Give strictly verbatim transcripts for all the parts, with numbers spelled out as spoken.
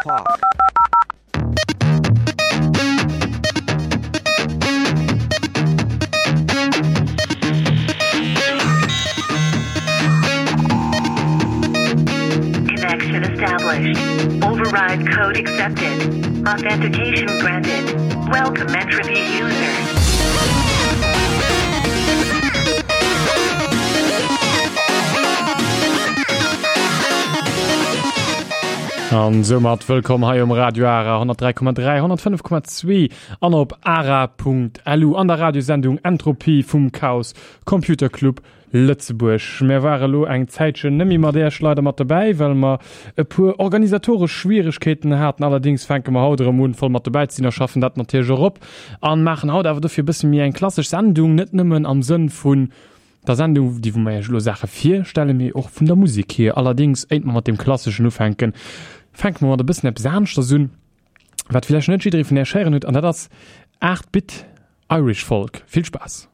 o'clock. Connection established. Override code accepted. Authentication granted. Welcome entropy user. An soumat wëllkomm hei um Radio Ara honnertdräi Komma dräi, honnertfënnef Komma zwee an op ara.lu an der Radiosendung Entropie vum Chaos Computer Club Lëtzebuerg. Mär ware lo eng Zäitchen nëmmi mat Äerch leider mat dobäi, well mer e puer organisatoresch Schwieregkeeten haten. Allerdings fänke mer haut erëm un, voll mat dobäi ze sinn a schaffen dat natierlech och op an maachen haut awer dofir e bësse méi eng klassesch Sendung, net nëmmen am Sënn vun der Sendung, déi wou mer Iech elo Saache virstellen, mee och vun der Musek hier. Allerdings, éint mer mat deem Klasseschen ufänken, fänke mer mat e bëssen eppes aneschters un, wat villäicht net jidderee vun Iech héieren huet, an dat ass aacht Bit Irish Folk. Vill Spaass!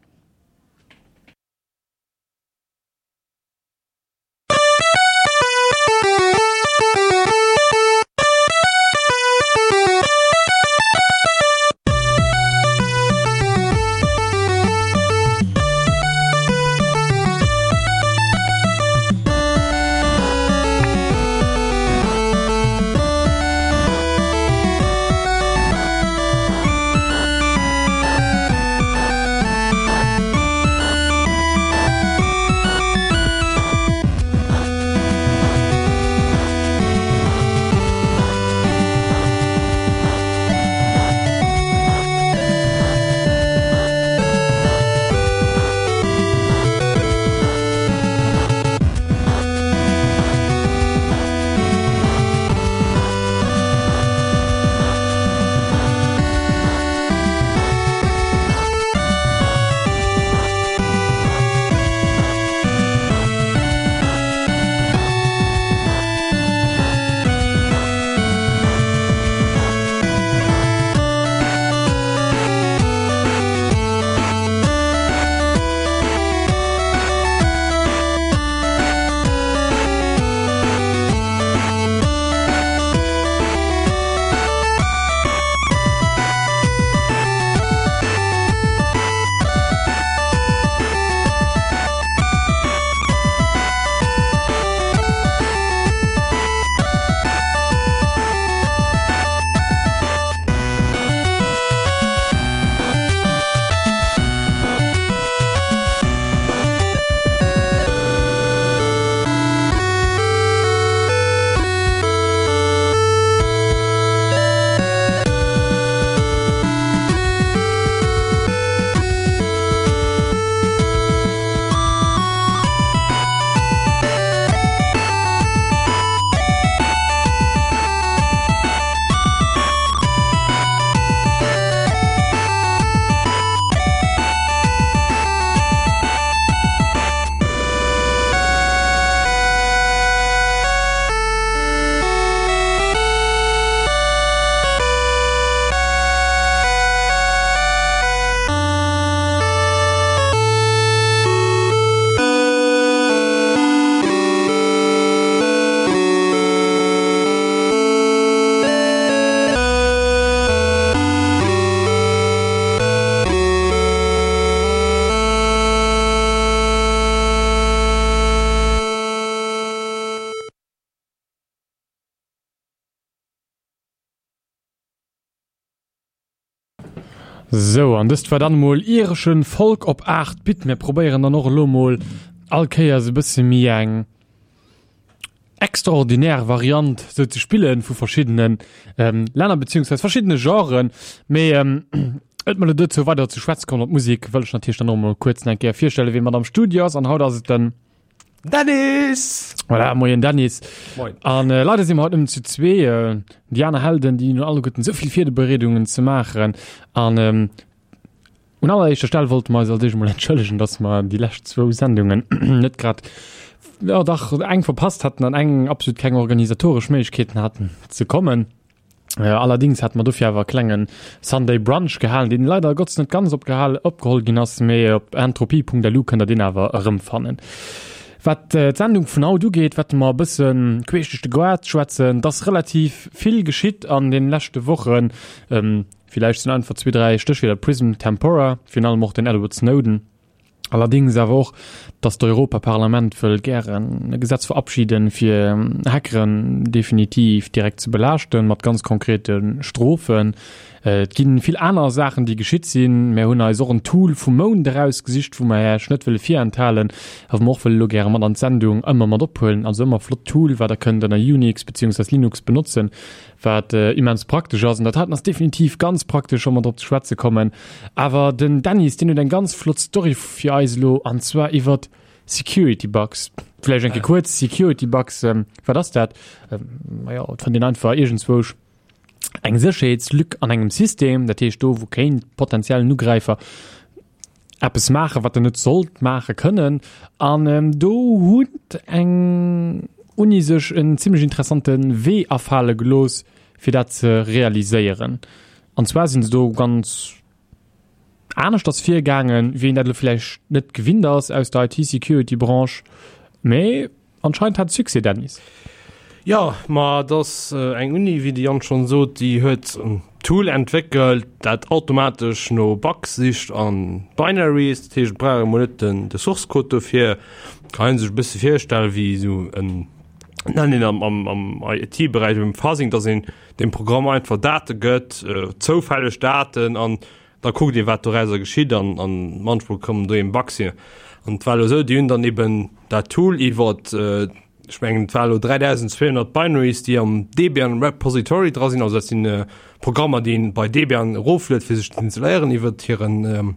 Sou, an dëst war dann emol ireschen Folk op aacht Bit. Mir probéieren dann och elo mol all Kéiers e bësse méi eng extraordinär Variant sou ze spillen vu verschiddenen ähm, Länner beziehungsweise verschiddene Genren. Mee ähm, et mal dozou weider ze schwätze kommen op Musik, wëll ech natierlech dann och mol kuerz eng Kéier virstelle wee mat am Studio ass. An haut ass et den Dennis! Voilà, moien Dennis. Moin. An äh, leider si mer haut nëmmen zu zwee. Äh, déi aner Helden, déi hunn alleguerten esou vill Virbereedungen ze maachen. An ähm, un alleréischter Stell wollte mer eis als éischt emol entschëllegen, dass mer déi lescht zwou Sendungen net grad, ja dach, eng verpasst hatten an eng absolut keng organisatoresch Méiglechkeeten hatten ze kommen. Allerdings hat mer dofir awer e klengen Sunday Brunch gehalen, deen leider Gottes net ganz opgehal opgeholl ginn ass, mee op entropie Punkt lu kënnt der deen awer erëmfannen. Wat d'Sendung vun haut ugeet, wäerte mer e bësse queesch duerch de Goart schwätzen. Et ass relativ vill geschitt an den leschte Wochen. Villäicht sinn einfach zwee, dräi Stéchwierder, Prism, Tempora, virun allem och den Edward Snowden. Allerdéngs awer och, datt d'Europaparlament wëll gären e Gesetz verabschieden, fir Hackeren definitiv direkt ze belaaschten, mat ganz konkrete Strofen. Et gi vill aner Saachen, déi geschitt sinn. Mär hunn eis och en Tool vum Mount erausgesicht, wou mer Iech net wëlle virenthalen, a wou mer och wëlle elo gäre mat an d'Sendung ëmmer mat ophuelen. Also ëmmer flott Tool, wat Der kënnt ënner Unix beziehungsweise Linux benotzen, wat immens praktesch ass. An dat haten ass definitiv ganz praktesch, wa mer drop ze schwätze kommen. Awer den Dennis, deen huet eng ganz flott Story fir eis elo, an zwar iwwert Security Bugs. Vläicht eng Kéier kuerz, Security Bugs, wat ass dat? Majo, et fënnt een einfach iergendzwousch eng Sécherheetslück an engem System, dat heescht do wou kéint potenziellen Ugräifer eppes maachen, wat en net sollt maache kënnen. An do huet eng Uni sech en zimlech interessante Wee afale gelooss, fir dat ze realiséieren. An zwar sinn se do ganz aneschters virgaangen, wéi een dat elo vläicht net gewinnt ass aus der IT-Security-Branche, mee anscheinend hat et Succès, Dennis. Jo, ma et ass eng Uni, wéi de Yann schonn sot, déi huet en Tool entwéckelt, dat automatesch no Bugs sicht a Binaries. Dat heescht, et brauch ee mol net den de Source Code dofir. Kann ee sech e bësse virstelle wéi esou en, nennen een am am am IT-Beräich um Fuzzing, dass een dem Programm einfach Date gëtt, zoufälleg Daten, an da kuckt een, wat dorauser geschitt, an an manchmol kommen do eben Bugs hier. An et war elo esou, déi hunn dann eben dat Tool iwwert, ech mengen et war elo dräidausendzweehonnert Binaries, déi am Debian Repository dra sinn, also dat sinn Programmer, déi een bei Debian erofluet fir sech ze installéieren iwwert hiren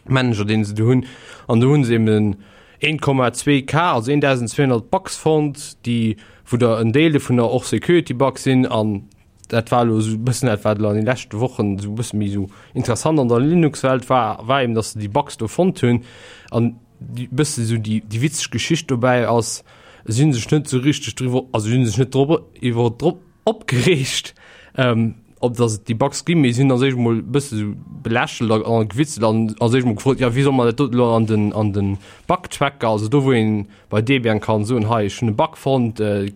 Manager, deen se do hunn. An do hunn se eben een Komma zwee K, also eendausendzweehonnert Bugs fonnt, déi, wou der en Deel dovunner och Security Bugs sinn. An dat war elo esou e bëssen dat, wat elo an de leschte Wochen esou e bësse méi esou interessant an der Linux-Welt war, war eben, datt se déi Bugs do fonnt hunn. An déi bësse esou déi, déi witzeg Geschicht dobäi ass, si hunn sech net esou richteg driwwer, also si hunn sech net drop iwwer drop opgereegt, ähm, ob datt et déi Bugs ginn, mee si hunn als éischt emol e bësse esou belächelt a, a gewitzelt an als éischt emol gefrot, jo wéi soll mer dat do elo an den, an den Bug-Tracker, also do wou een bei Debian kann soen, hei ech hunn e Bug fonnt, äh,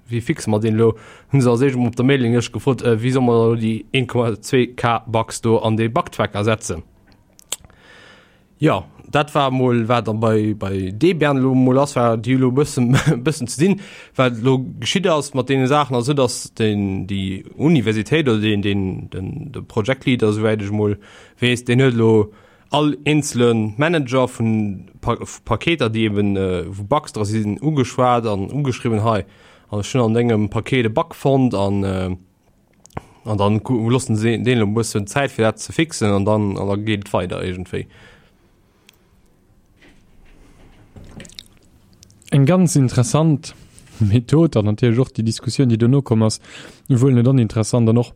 Wéi fixe mer deen elo? Hunn se als éischt emol op der Mailinglëscht gefrot, wéi soll mer elo déi een Komma zwee K Bugs do an dee Bugtracker setzen? Jo, dat war emol wat dann bei, bei Debian elo emol ass, war déi elo e bëssen, e bëssen ze dinn. Wat elo geschitt ass mat deene Saachen ass esou, datt den, déi Universitéit oder deen, deen, den, de Project Leader, esouwäit ech emol weess, deen huet elo all eenzele Manager vun Paketer, déi eben wou Bugs dra sinn, ugeschwat an ugeschriwwen, hei, an ech hunn an dengem Paket e Bug fonnt an an dann loossen se deen elo e bëssen Zäit fir dat ze fixen an dann an da geet et weider iergendwéi. Eng ganz interessant Method an natierlech och déi Diskussioun, déi dono komm ass, wuel net oninteressant an och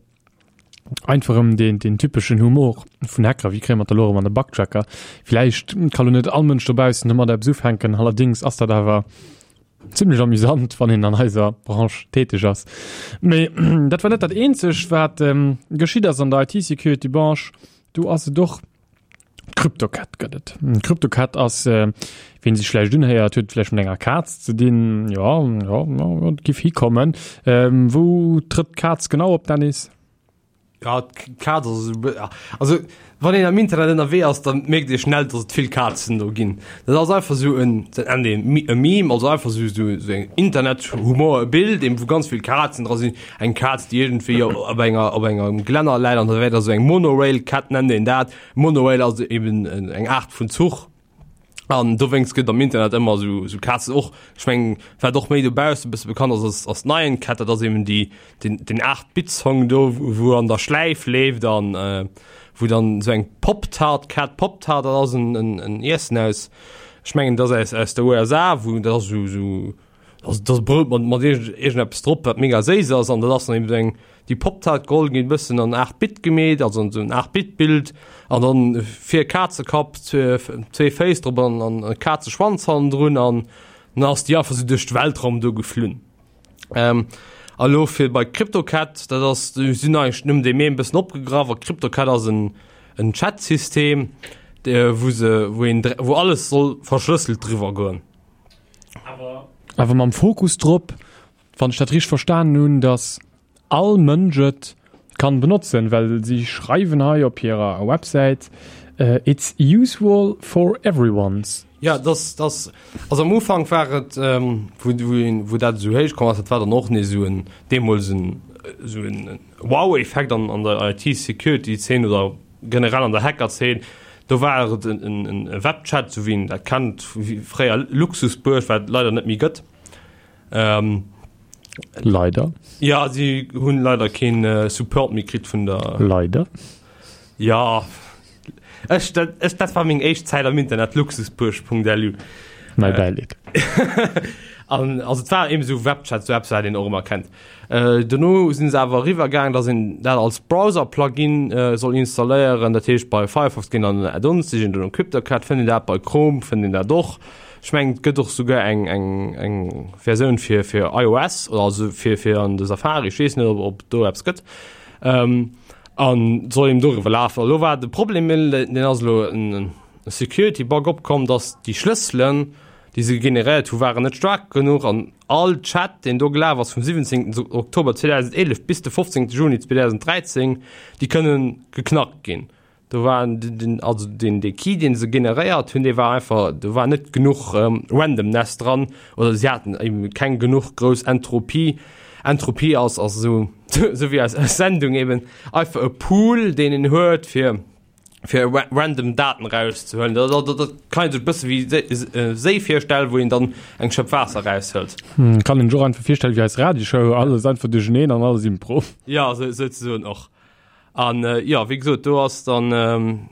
Einfach erëm deen, deen typeschen Humor vun Hacker, wéi kréie mer d'elo erëm an de Bugtracker? Villäicht ka lo net all Mënsch dobaussen domat eppes ufänken, allerdéngs ass dat awer zimlech amüsant, wann een an eiser Branche täteg ass. Mee dat war net dat eenzegt, wat geschitt ass an der IT-Security-Branche. Do ass et och CryptoCat gëtt et. CryptoCat ass, wien sech vläicht unhéiert, huet vläicht mat enger Kaz ze dinn. Jo, jo, jo, et giff hikommen. Wou trëtt d'Kaz genau op, Dennis? Ja, d'Kaz ass esou, also wann een am Internet ënnerwee ass, dann mierkt ee schnell, dass et vill Kazen do ginn. Dat ass einfach esou en, dat nennt een e Meme, also einfach esou esou esou eng Internethumor, e Bild eben, wou ganz vill Kazen dra sinn. Eng Kaz, déi iergendwéi op enger op engem Glänner läit an da wär da esou eng Monorail Cat nennt een dat. Monorail ass eben eng Aart vun Zuch. An dowéinst gëtt am Internet ëmmer esou esou Kazen och, ech mengen, wat och méi dobausse e bësse bekannt ass, ass ass d'Nyan Cat, dat ass eben déi den den Aacht-Bit-Song do, wou an der Schläif leeft an wou dann esou eng Pop-Tart Cat, Pop-Tart, dat ass en en en Iessen aus, ech mengen, dat ass aus aus der U S A, wou dat ass esou esou Also dat ass Brout mat, mat iergendeppes drop, wat mega séiss ass. An dat ass dann eben eng, déi Pop-Tart geholl ginn, e bëssen an aacht Bit gemeet, also an esou en aacht Bit Bild. An dann vir e Kazekapp, zwee, zwee Féiss drop an, an e Kazeschwanz hannendrun. An dann ass déi einfach esou duerch de Weltraum do geflunn. Ähm, a lo fir bei CryptoCat, dat ass, si hunn eigentlech nëmmen dee Meme e bëssen opgegraff. A CryptoCat ass en, en Chat-System, wou se, wou een, wou alles soll verschlësselt driwwer goen. Awer mam Fokus drop, wann ech dat richteg verstanen hunn, dass all Mënsch et kann benotzen, well si schreiwen hei op hirer Websäit, It's useful for everyones. Ja, das, das, also am Ufank war et, ähm, wou, wou, wou dat esou héich komm ass, dat war dann och nees esou en, deemools en, esou en Wow-Effekt an, an der I T-Security-Zeen oder generell an der Hacker-Zeen. Do war et en, en, en Webchat, esou wéi een dat kennt, wéi fréier Luxusbuerg, wat et leider net méi gëtt. Ähm, Leider. Ja, si hunn leider keen Support méi kritt vun der. Leider. Ja, ech, dat, ech, dat war meng éischt Zäit am Internet, luxusbuerg Punkt L U. Mäi Bäileed. An also et war eben esou Webchat, esou eppes wat een och ëmmer kennt. Äh, dono sinn se awer eriwwer gaang, datt een dat als Browser-Plugin äh, soll installéieren. Dat heescht bei Firefox ginn an Add-ons, sichen do no CryptoCat, fënnt een dat, bei Chrome fënnt een dat och. Ech mengen et gëtt och souguer eng eng eng Versioun fir fir I O S oder also fir fir an de Safari, ech weess net ob ob do eppes gëtt. Ähm, an soll eben doriwwer lafen. Elo war de Problem, deen ass elo en Security Bug opkomm, datt déi Schlësselen, déi se generéiert hu waren net staark genuch an all Chat, deen do gelaf ass vum siwwenzéngten Oktober zweedausendeelef bis de fofzéngte Juni zweedausenddräizéng, déi kënnen geknackt ginn. Do war den, also den dee Key, deen se generéiert hunn, dee war einfach, do war net genuch Randomness dran oder si haten eben keng genuch grouss Entropie. Entropie ass ass esou esou wéi eis Sendung eben einfach e Pool, deen een huet fir fir random Daten rauszehuelen. Dat, dat, dat kann een sech e bësse wéi Séi virstellen, wou een dann eng Schëpp Waasser raushëlt. Hm, kann een sech och einfach virstellen wéi eis Radioshow, alles einfach duercheneen an alles Impro. Ja, sou, souzesoen och. An äh, ja, wéi gesot, do ass dann ähm,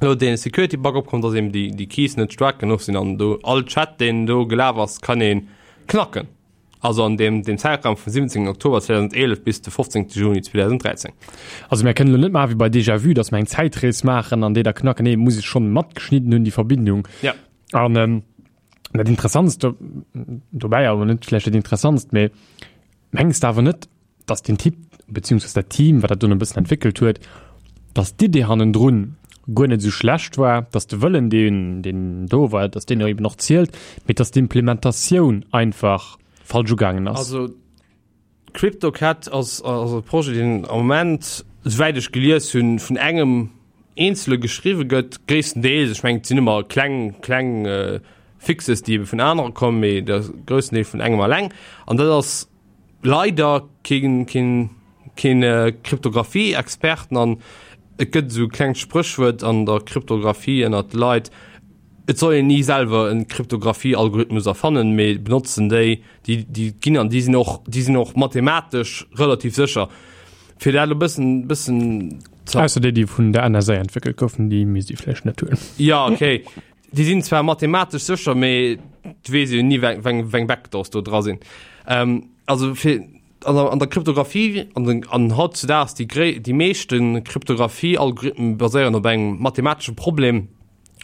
lo dee Security Bug opkomm, dass eben déi, déi Keys net staark genuch sinn an do all Chat, deen do gelaf ass, kann een knacken. Also an dem, dem Zäitraum vum siwwenzéngten Oktober zweedausendeelef bis de fofzéngte Juni zweedausenddräizéng. Also mir kënnen elo net maache wéi bei Déjà Vu, dass mer eng Zäitrees maachen an déi da knacken. Nee, muss ech schonn matgeschnidden hunn, déi Verbindung. Ja. An ähm, dat Interessantst do, dobäi, awer net vläicht dat Interessantst, mee mengs de awer net, dass den Typ, beziehungsweise dat Team, wat dat dunn e bëssen entwéckelt huet, dass d'Idee hannendrun guer net esou schlecht war, dass de Wëllen, deen, deen do war, dass deen eben och zielt, mee dass d'Implementatioun einfach falsch ugaangen ass. Also CryptoCat ass, ass e Projet, deen am Moment, esouwäit ech gelies hunn, vun engem Eenzele geschriwwe gëtt, gréisstendeels. Ech mengen, et sinn ëmmer kleng, kleng Fixes, déi ebe vun anere kommen, mee de groussen Deel vun engem eleng. An dat ass leider keen, keen, keen Kryptographie-Experten. An et gëtt esou e klengt Spréchwuert an der Kryptographie ënnert de Leit, Et soll een ni selwer e Kryptographie-Algorithmus erfannen, mee benotzen déi, déi, déi ginn an déi sinn och, déi sinn och mathematesch relativ sécher. Fir dat elo bëssen, bëssen ze. Ausser déi, déi vun der N S A entwéckelt goufen, déi misst ee vläicht net huelen. Jo, okay. Déi sinn zwar mathematesch sécher, mee et weess een jo ni, weng, weng, weng Backdoors do dra sinn. Also fir an der, an der Kryptographie an den, an hautzudaags déi gréi, déi meeschte Kryptographie-Algorithmen baséieren op engem mathematesche Problem,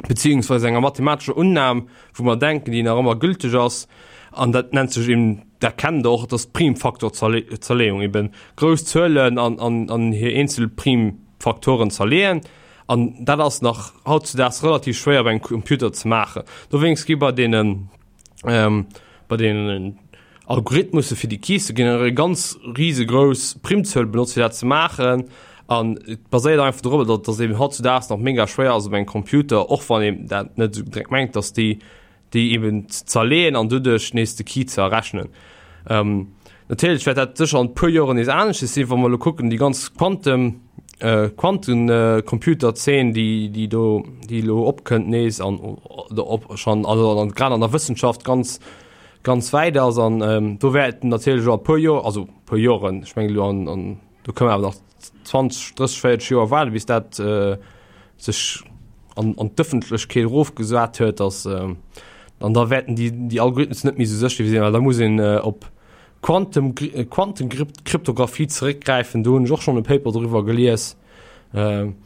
beziehungsweise enger mathematescher Unnam, wou mer denken, déi nach ëmmer gülteg ass, an dat nennt sech eben, dat kennt Der och, dat ass d'Primfaktorzerleeung, eben grouss Zuelen an, an, an hir eenzel Primfaktoren zerleeën. An dat ass nach hautzudaags relativ schwéier op engem Computer ze maachen. Dowéinst gi bei deenen, bei deenen Algorithmusse fir déi Keys ze generéieren, ganz risegrouss Primzuel benotzt fir dat ze maachen an et baséiert einfach dorobber, datt datt eben hautzudaags nach mega schwéier ass op engem Computer, och wann een dat net esou direkt mengt, datt déi déi eben ze zerleeën an doduerch nees de Key ze errechnen. Natierlech wäert dat sécher an e puer Joren nees aneschters sinn, wa mer elo kucken déi ganz Quantum Quantencomputerzeen, déi déi do déi elo opkënnt nees an oder op schonn also an grad an der Wëssenschaft ganz ganz wäit ass an do wäerten natierlech och a puer Joer, also puer Joren, ech mengen elo an an do kënne mer awer nach zwanzeg, drësseg, véierzeg Joer waarden, bis dat sech an an d'Ëffentlechkeet erofgesat huet, dass an da wäerten déi déi Algorithmus net méi esou sécher sinn, well da muss een op Quantum Quantenkryptographie zeréckgräifen, do hunn ech och schonn e Paper doriwwer gelies an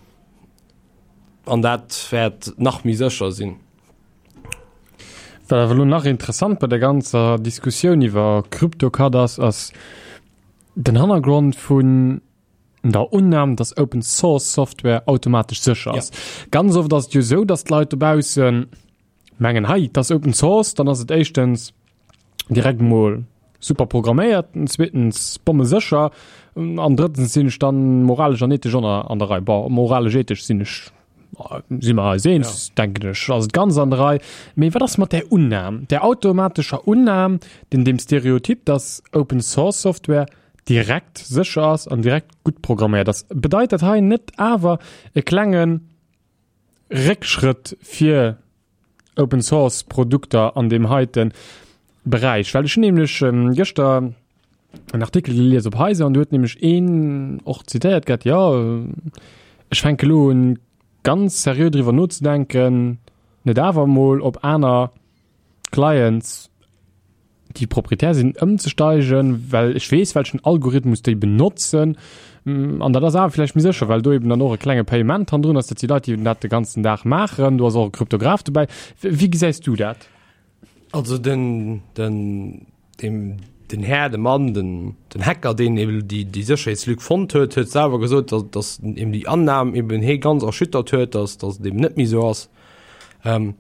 dat wäert nach méi sécher sinn. Wat awer elo nach interessant bei der ganzer Diskussioun iwwer CryptoCat ass, ass den Hannergrond vun der Unnam, dass Open Source Software automatesch sécher ass. Ganz oft ass et jo esou, dass d'Leit dobaussen mengen, hei, dat ass Open Source, dann ass et éischtens direkt mol super programméiert, zweetens bommesécher an drëttens sinn ech dann moralesch an ethesch an der Rei. Bon, moralesch ethesch sinn ech si mer eis eens, ja. denken ech, ass et ganz an der Rei. Mee wat ass mat där Unnam, där automatescher Unnam, den dem Stereotyp, dass Open Source Software direkt sécher ass an direkt gutt programméiert ass? Bedeit dat hei net awer e klenge Réckschrëtt fir Open Source Produkter an deem heite Beräich? Well ech hunn nämlech gëschter en Artikel gelies op Heise an do huet nämlech een och zitéiert gehat, jo ech fänke elo un ganz seriö driwwer nozedenken, net awer emol op aner Clients, déi proprietär sinn, ëmzesteigen, well ech weess, welchen Algorithmus déi benotzen. An dat ass awer vläicht méi sécher, well do eben dann och e klenge Payement hannendrun ass. Dat si Leit, déi dat de ganzen Dag maachen. Do ass och e Kryptograph dobäi. Wéi gesäis du dat? Also den, den, dem, den Här, de Mann, den, den Hacker, deen eben déi, déi Sécherheetslück fonnt huet, huet selwer gesot, dass, dass eben déi Annam eben hee ganz erschüttert huet, dass, dass et eben net méi esou ass. Ähm,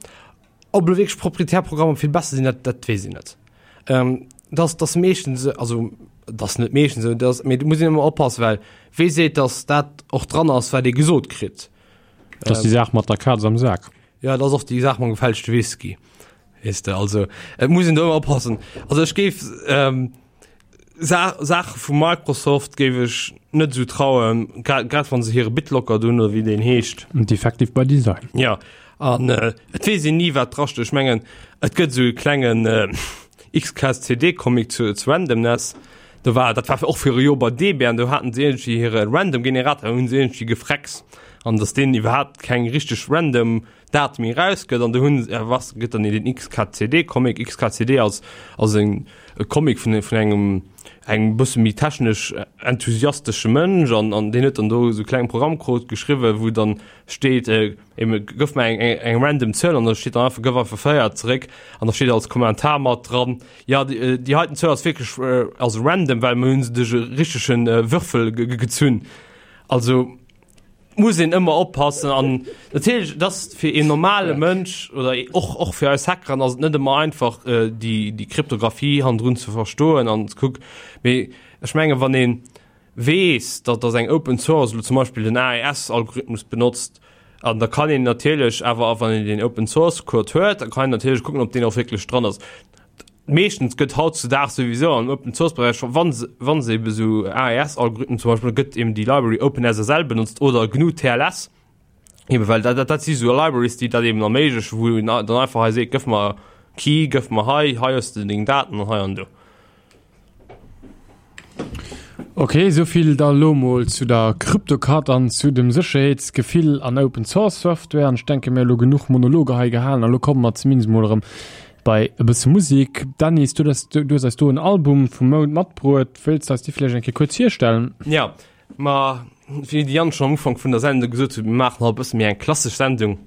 ob elo wierklech proprietär Programmer vill besser sinn, dat, dat weess een net. Ähm, dass, dass meeschtens, also dass net meeschtens esou, dass, mee do muss een ëmmer oppassen, well wee seet, dass dat och dran ass, wat ee gesot kritt? Dat ass déi Saach mat der Kaz am Sak. Ja, dat ass och déi Saach mam gefälschte Whisky. Weess de, also et muss een do ëmmer oppassen. Also ech géif ähm, Sa Saache vu Microsoft géif ech net esou trauen, grad grad wann se hire BitLocker do hunn oder wéi deen heescht. Defective by Design. Ja, an äh, et weess een ni wat drasteet. Ech mengen et gëtt esou e klengen äh, X K S C D-Comic zu, zu Randomness. Do war, dat war och viru Joer bei Debian, do haten se iergendwéi hire Random Generator, hunn se iergendwéi gefrecks an datt deen iwwerhaapt keng richteg random Date méi erausgëtt an do hunn se, was gëtt dann den X K C D-Comic. X K C D ass ass en e Comic vun vun engem engem bësse méi technesch enthusiastesche Mënsch an an deen huet dann do esou kleng Programmcode geschriwwen, wou dann steet äh, gëff mer eng eng eng random Zuel an da steet dann einfach gëff einfach véier zeréck an da steet als Kommentar mat dran, ja déi déi heiten Zuel ass wierklech äh, also random, well mir hunn se duerch e richtegen äh, Würfel gezunn. Also muss een ëmmer oppassen an natierlech dass fir een normale Mënsch oder och och fir eis Hackeren ass et net ëmmer einfach äh, déi déi Kryptographie hannendrun ze verstoen an ze kucken. Mee ech menge wann een weess, datt dass eng Open Source elo zum Beispill den A E S Algorithmus benotzt an da kann een natierlech awer wann een den Open Source Code huet, da kann een natierlech kucken, ob deen och wierklech dran ass. Meeschtens gëtt hautzedaags souwisou am Open Source Beräich, wann se wann se ebe sou A E S Algorithmen zum Beispill, gëtt eben déi Library Open S S L benotzt oder G N U T L S, eben well dat dat si sou Libraries, déi dat eben erméiglechen, wou een dann einfach hei seet, gëff mer Key, gëff mer hei, hei hues de deng Daten an hei an do. Ok, souvill da lo mol zu der Kryptokat an zu dem Sécherheetsgefill an Open Source Software. An ech denke mir elo genuch Monologer hei gehalen a lo komme mer zumindest mol erëm bei e bësse Musik. Dennis, du hues du hues eis do en Album vum Mount matbruet. Wëlls de eis dee vläicht eng Kéier kuerz virstellen? Ja, ma wéi de Yann schonn am Ufank vun der Sendung gesot huet, mir maachen haut e bësse méi eng klassesch Sendung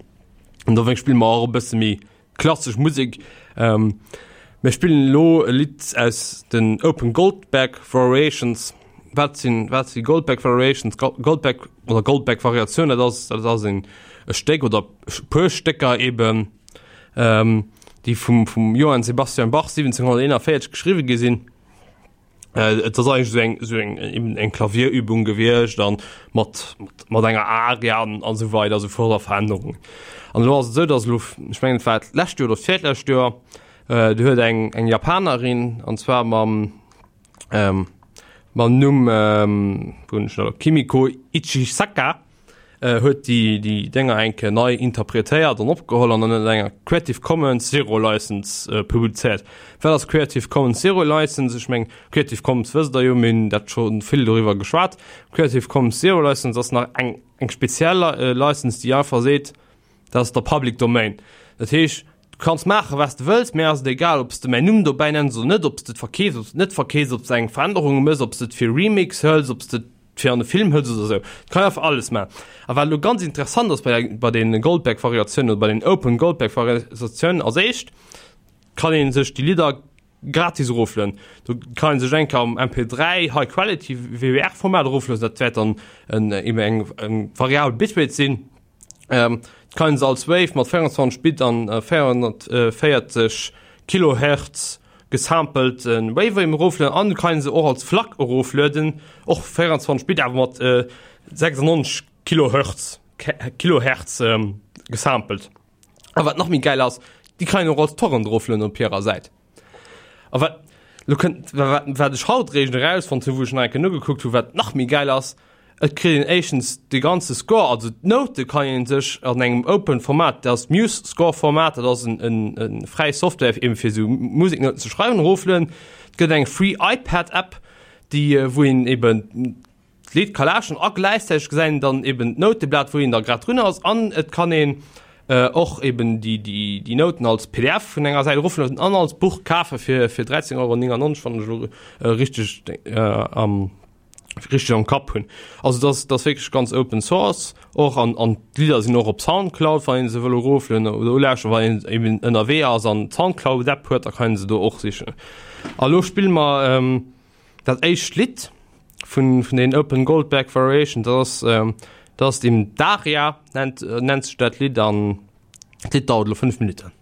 an dowéinst spille mer och e bësse méi Klassesch Musek. Mir spillen elo e Lidd aus den Open Goldberg Variations. Wat sinn, wat si Goldberg Variations? Goldberg oder Goldberg Variatioun, dat ass, dat ass en e Stéck oder e puer Stécker eben, déi vum, vum Johann Sebastian Bach siwwenzénghonnerteenanvéierzeg geschriwwe gi sinn. Et ass eigentlech esou eng, esou eng, eben eng Klavierübung gewiescht an mat, mat enger Aria an, an esou weider esou fort a Verännerungen. An elo ass et esou, datt elo, ech mengen et war d'lescht Joer oder d'virlescht Joer, do huet eng, eng Japanerin, an zwar mam, mam Numm, wou hunn ech en elo, Kimiko Ichisaka, huet déi déi Dénger eng Kéier nei interpretéiert an opgeholl an ënner enger Creative Commons Zero License publizéiert. Wat ass Creative Commons Zero License? Ech meng Creative Commons wësst der jo, mir hunn dat scho vill doriwwer geschwat. Creative Commons Zero License ass nach eng eng speziell License, déi einfach seet, dat ass der Public Domain. Dat heescht, du kanns maache wat s de wëlls, mir ass et egal, ob s de mäin Numm dobäi nenns oder net, ob s de et verkeefs, ob s de et net verkeefs, ob s de eng Verännerung méchs, ob s de et fir Remix hëls, ob s de et fir an e Film hëls oder esou. Du kann einfach alles maachen. A wat elo ganz interessant ass bei der, bei den Goldberg-Variatiounen oder bei den Open Goldberg-Variatiounen, als éischt kann ee sech déi Lidder gratis eroflueden. Do kann ee sech eng Kéier am M P dräi High Quality W B R-Format eroflueden, dat wäert dann en, eben eng, eng variabel Bitrate sinn. Ähm, et kann een se als Wave mat véierundzwanzeg Bit an véierhunnertvéierzeg Kilohertz gesampelt Wave eben eroflueden an du kann se och als FLAC eroflueden, och véierundzwanzeg Bit awer mat sechsundneunzeg Kilohertz Kilohertz gesampelt. A wat nach méi gäil ass, déi kann een och als Torrent eroflueden op hirer Säit. A wat lo kënnt, wat, wat ech haut réischt erausfonnt hunn, wou ech nach eng Kéier nogekuckt hunn, wat nach méi gäil ass, Et kritt een éischtens de ganze Score, also d'Noute kann een sech an engem open Format, dat ass MuseScore Format, dat ass en en fräi Software eben fir esou Museknouten ze schreiwen, eroflueden. Et gëtt eng free iPad App, déi wou een eben d'Lidd ka lauschteren a gläichzäiteg gesäit een dann eben d'Nouteblat wou een da grad drun ass an et kann een och eben déi déi déi Nouten als P D F vun enger Säit eroflueden an als Buch kafe fir fir dräizéng Euro néngannonzeg, wann ech elo richteg am richteg am Kapp hunn. Also das das wierklech ganz Open Source och an an d'Lidder sinn och op Soundcloud, wann een se wëll eroflueden oder ulauschteren, wann een eben ënnerwee ass an d'Soundcloud App huet, da kann een se do och sichen. A lo spille mer ähm, dat éischt Lidd vun vun den Open Goldberg Variation, dat ass ähm, dat ass dem Daria nennt nennt sech dat Lidd an d'Lidd dauert elo fënnef Minutten.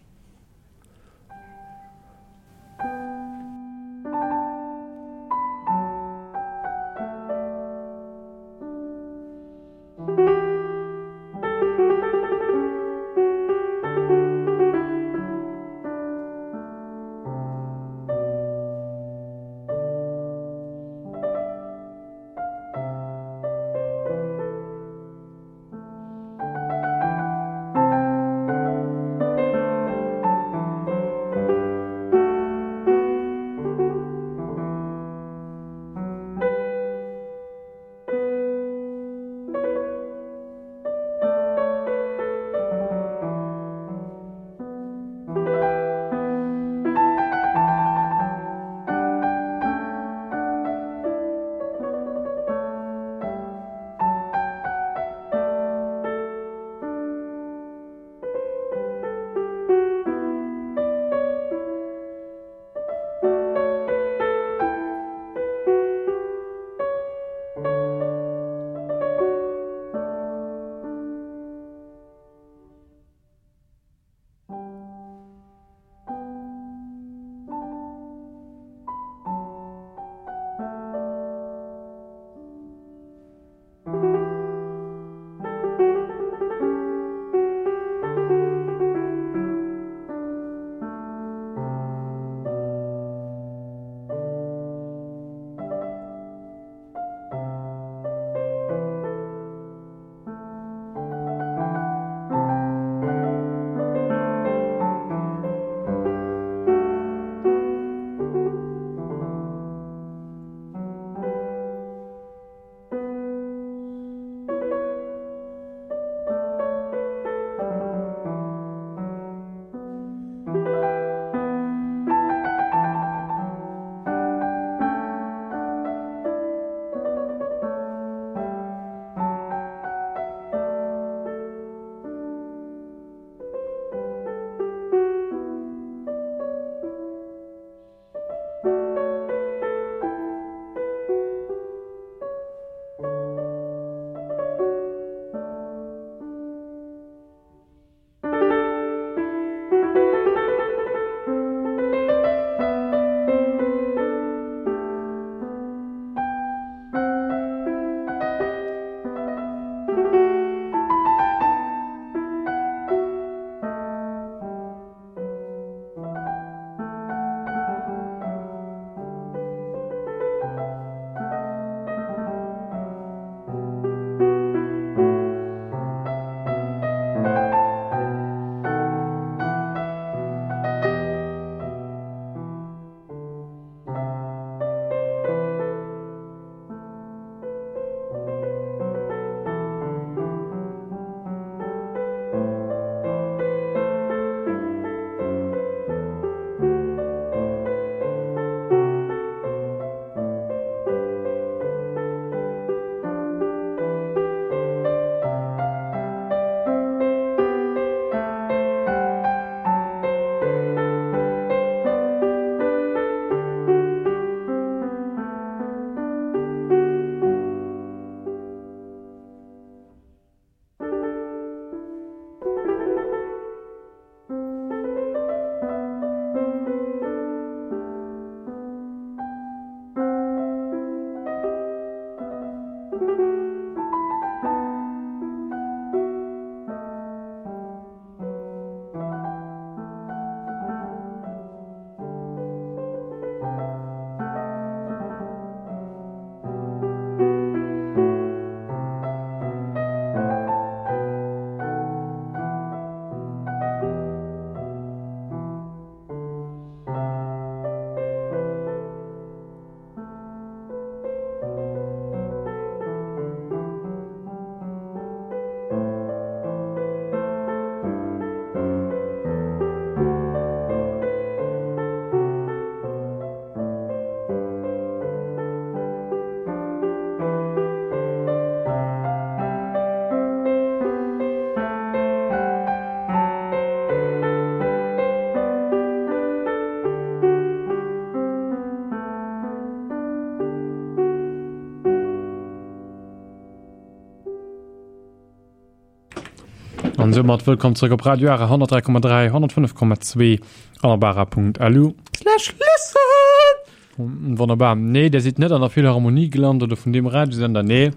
An soumat wëllkomm zréck op Radio Ara honnertdräi Komma dräi, honnertfënnef Komma zwee an op ara Punkt lu. Slash listen! Wonnerbar. Nee, der sidd net an der Philharmonie gelant oder vun deem Radiosender, nee.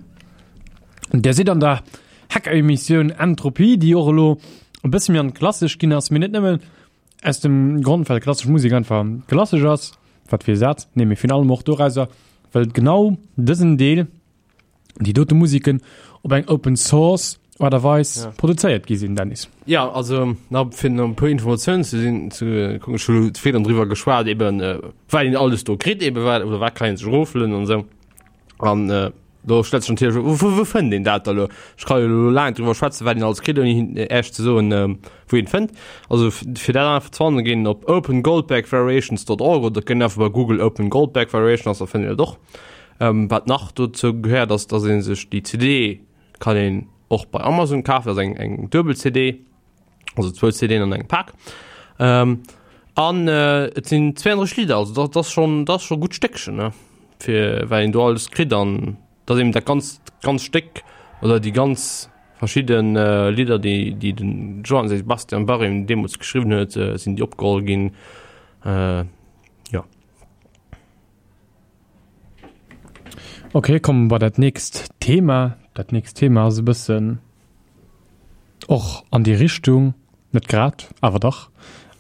Der sidd an der Hacker-Emissioun Entropie, déi och elo e bësse méi an d'Klassesch ginn ass, mee net nëmmen aus dem Grond, well klassesch Musek einfach klassesch ass, wat fir e Saz, nee, mee virun allem och dorauser, well genau dësen Deel, déi dote Musiken op eng Open Source Aart a Weis Ja. produzéiert gi sinn, Dennis. Ja, also na, fir nach e puer Informatiounen ze sinn, ze kucken, ech hu lo virdrun driwwer geschwat, eben äh, wat een alles do kritt, eben wat, oder wat kann een sech eroflueden an esou. An äh, do stellt sech natierlech, wou, wou, wou fënnt een dat da lo? Ech kann jo lo laang driwwer schwätzen, wat een alles kritt, ouni hin- Iech ze soen, ähm, wou een et fënnt. Also f- fir dat einfach ze fannen, ginn op open goldberg variations dot org oder ginn einfach bei Google Open Goldberg Variations, da fënnt een dat och. Ähm, wat nach dozou gehéiert, ass, dass ee sech déi C D kann een och bei Amazon kafen, dat ass eng, eng duebel C D, also zwou C Den an engem Pak. Ähm, an, äh, et sinn zweiunddrësseg Lidder, also dat, dat ass schon, dat ass schon gutt Stéckchen, ne? Fir wat een do alles kritt an dat ass eben dat ganz, ganz Stéck oder déi ganz verschidden, äh, Lidder, déi, déi den Johann Sebastian Bach eben deemools geschriwwen huet, äh, sinn déi opgeholl ginn. Äh, ja. Okay, komme bei dat nächst Thema. Dat nächst Thema ass e bëssen och an déi Richtung, net grad, awer dach.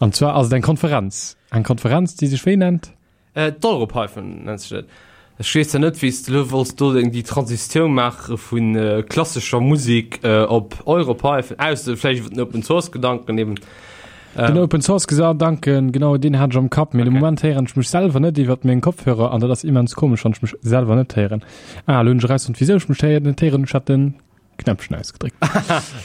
An zwar ass et eng Konferenz. Eng Konferenz, déi sech wéi nennt? Äh, d'Europython nennt sech dat. Ech weess ja net, wéi s de elo wollts do déi Transitioun maache vun äh, klassescher Musek äh, op Europython, ausser vläicht iwwer den Open Source Gedanken eben. Den Open Source Gedanken, genau deen hat ech am Kapp, mee de Moment héieren ech mech selwer net iwwert meng Kopfhörer an dat ass immens komesch, wann ech mech selwer net héieren. Ah, elo hunn ech erausfonnt, wisou ech mech héier net héieren, ech hat den Knäppchen ausgedréckt.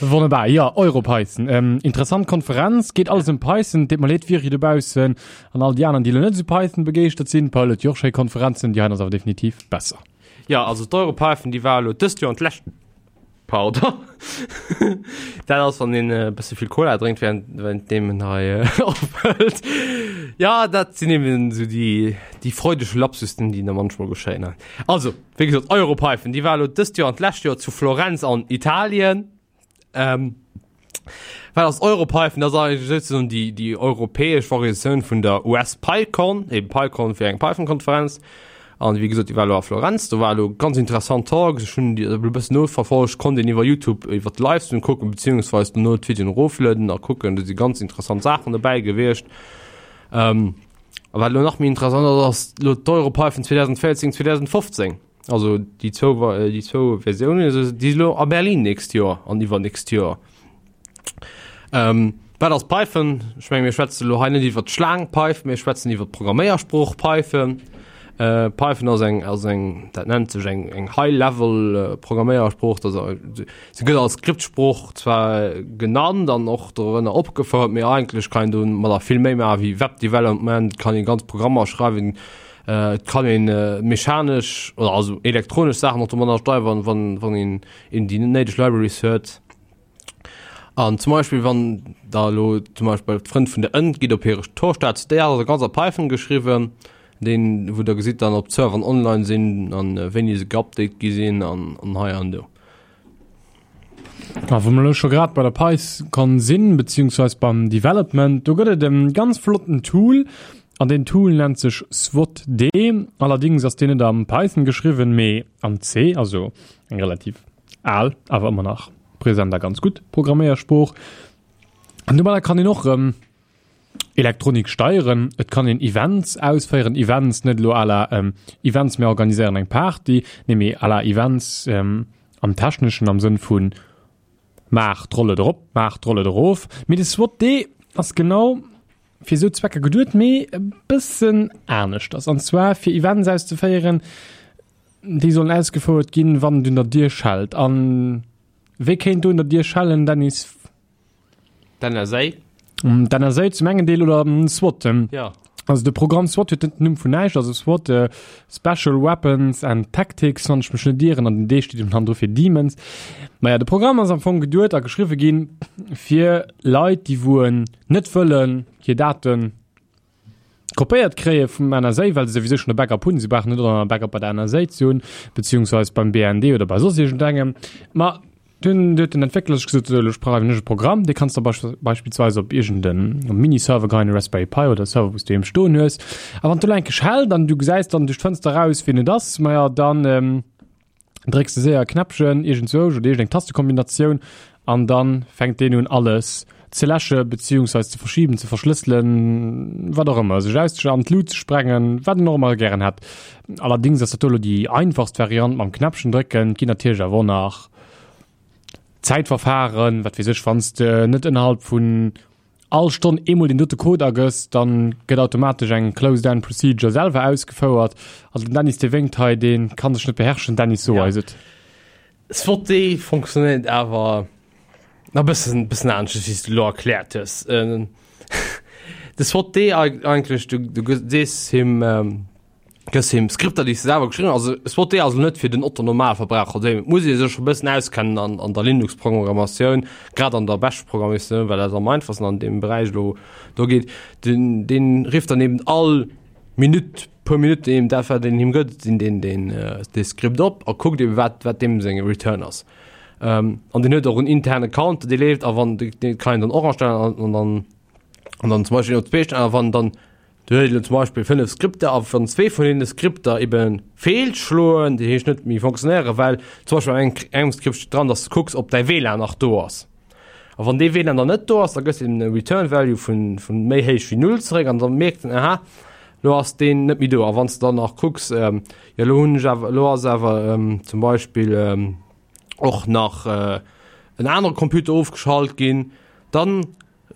Wonnerbar, jo, Europython. Ähm, interessant Konferenz, geet alles ëm Python, deet mer leed, Viri dobaussen an all déi aneren, déi elo net esou Python begeeschtert sinn. Paul huet jo och schéi Konferenzen, déi heien ass awer definitiv besser. Jo, also d'Europython, déi war elo dëst Joer an d'lescht. Pardon. Dat ass, wann een e bësse vill Cola drénkt, während, während deem en hei äh, ophëlt. Ja, dat sinn eben so déi, déi freudeg Lapsussen, déi da manchmal geschéien. Also, wéi gesot, Europython, déi war elo dëst Joer an d'lescht Joer zu Florenz an Italien. Ähm, wat ass Europython? Dat ass eigentlech souzesoen déi, déi europäesch Variatioun vun der U S PyCon, eben PyCon fir eng Python-Konferenz. An wéi gesot, déi war elo a Florenz, do war elo ganz interessant Talks, ech hunn déi e bëssen noverfollegt, konnt een iwwer YouTube iwwer de Livestream kucken, beziehungsweise dono d'Videoen eroflueden a kucken, do si ganz interessant Saachen dobäi gewiescht. Ähm, a wat elo nach méi interessant ass, ass elo d'Europython zweedausendvéierzéng, zweedausendfofzéng, also déi zwou, déi zwou Versiounen, also déi si elo a Berlin nächst Joer an iwwernächst Joer. Ähm, wat ass Python? Ech menge mir schwätzen elo hei net iwwer d'Schlaang Python, mir schwätzen iwwer d'Programméiersprooch Python. Äh, Python ass eng, ass eng, dat nennt sech eng, eng High-Level, äh, Programméiersprooch, dat ass, se gëtt als Skriptsprooch zwar genannt an och dorënner opgefouert, mee eigentlech kann een do mat der vill méi maachen wéi Webdevelopment, kann een ganz Programmer schreiwen, äh, et kann een, äh, mechanesch oder also elektronesch Saachen och domadder steiwern, wann, wann een, een déi néideg Libraries huet. An zum Beispill, wann da elo zum Beispill d'Frënn vun der Ënt gitt op hire Torstaat, déi ass also ganz a Python geschriwwen, deen, wou der gesitt dann, ob d'Serveren online sinn an wéini se geupdate gi sinn an, an hei an do. A wou mer elo scho grad bei der PyCon sinn, beziehungsweise beim Development, do gëtt et e ganz flotten Tool, An deen Tool nennt sech SWAT-D. Allerdings ass deen net am Python geschriwwen, mee am C, also eng relativ al, awer ëmmer nach present a ganz gutt Programméiersprooch. An domadder kann een och erëm Elektronik steieren, et kann een Events ausféieren, Events net elo à la Events mir organiséieren eng Party, nee mee à la Events am Techneschen am Sënn vu maach d'Rolle erop, maach d'Rolle erof. Mee de SWAT-D ass genau fir esou Zwecker geduet, mee e bëssen aneschters, an zwar fir Events auszeféieren, déi sollen ausgefouert ginn, wann et un der Dier schellt. An wee kéint do un der Dier schellen, Dennis? D'N S A? D'N S A zum engen Deel oder SWAT. Ja. Also de Programm SWAT huet net den Numm vun näischt, also SWAT, Special Weapons and Tactics, wann ech mech net ieren, an den D steet eben dann do fir Demons. Maja, de Programm ass am Fong geduet a geschriwwe ginn fir Leit, déi wou net wëllen hir Daten kopéiert kréie vum N S A, well se souwisou schonn e Backup hunn, si brauchen net och nach e Backup bei der N S A ze hunn, beziehungsweise beim B N D oder bei soss iergendengem. Ma dunn huet den Entwéckler sech gesot, esou elo schreiwen ech e Programm, dee kanns de beispillsweis op iergend en Mini-Server geheien, e Raspberry Pi oder e Server, wou s du doheem stoen hues. A wann d'elo eng Kéier schellt an du gesäis dann duerch d'Fënster eraus, wien et ass, maja dann drécks de séier e Knäppchen iergendzwousch oder iergendeng Tastekombinatioun an dann fänkt deen un alles ze läsche beziehungsweise ze verschieben, ze verschlësselen, wat och ëmmer, sech aus an d'Lut ze sprengen, wat en och ëmmer gären hätt. Allerdings ass dat do elo déi einfachst Variant mam Knäppchen drécken, et ginn natierlech awer och nach Zäitverfahren, wat weess ech, wann s de net ënnerhalb vun all Stonn eemol deen dote Code agëss, dann gëtt automatesch eng Close-Down Procedure selwer ausgefouert. Also den Dennis dee wénkt hei, dee kann sech net beherrschen. Dennis, so Ja. eis et. S W T funktionéiert awer nach bëssen bëssen anescht, wéi s du elo erkläert hues. Äh, de S W T D eigentlech, du, du sees him, ähm, gëss him Skripter, déi s de selwer geschriwwen hues. Also S W T D ass net fir den Otto Normalverbraucher, do muss ee sech scho bëssen auskennen an, an der Linux-Programmatioun, grad an der Bash-Programmatioun, well dat am einfachsten an deem Beräich elo do geet. Den, deen rifft dann eben all Minutt, puer Minutten eben dat, wat een him gëtt, den, den, den, äh, dee Skript op a kuckt eben, wat, wat deem seng Return ass. Ähm, an den huet och en interne Counter, dee leeft, a wann, dee kann een dann och astellen an, an dann, an dann zum Beispill op zwee stellen, a wann dann, du huet elo zum Beispill fënnef Skripter, a wann zwee vun deene Skripter eben feelschloen, déi heescht net méi funktionéieren, well zum Beispill an engem, engem Skript steet dran, dass du kucks, ob däi W LAN nach do ass. A wann dee W LAN dann net do ass, da gëss de e Return Value vun, vun méi héich wéi null zeréck, an dann mierkt en, aha, lo ass deen net méi do. A wann s de dann nach kucks, ähm, jo lo hunn ech awer, lo ass awer ähm, zum Beispill ähm, och nach äh, en anere Computer ofgeschalt ginn, dann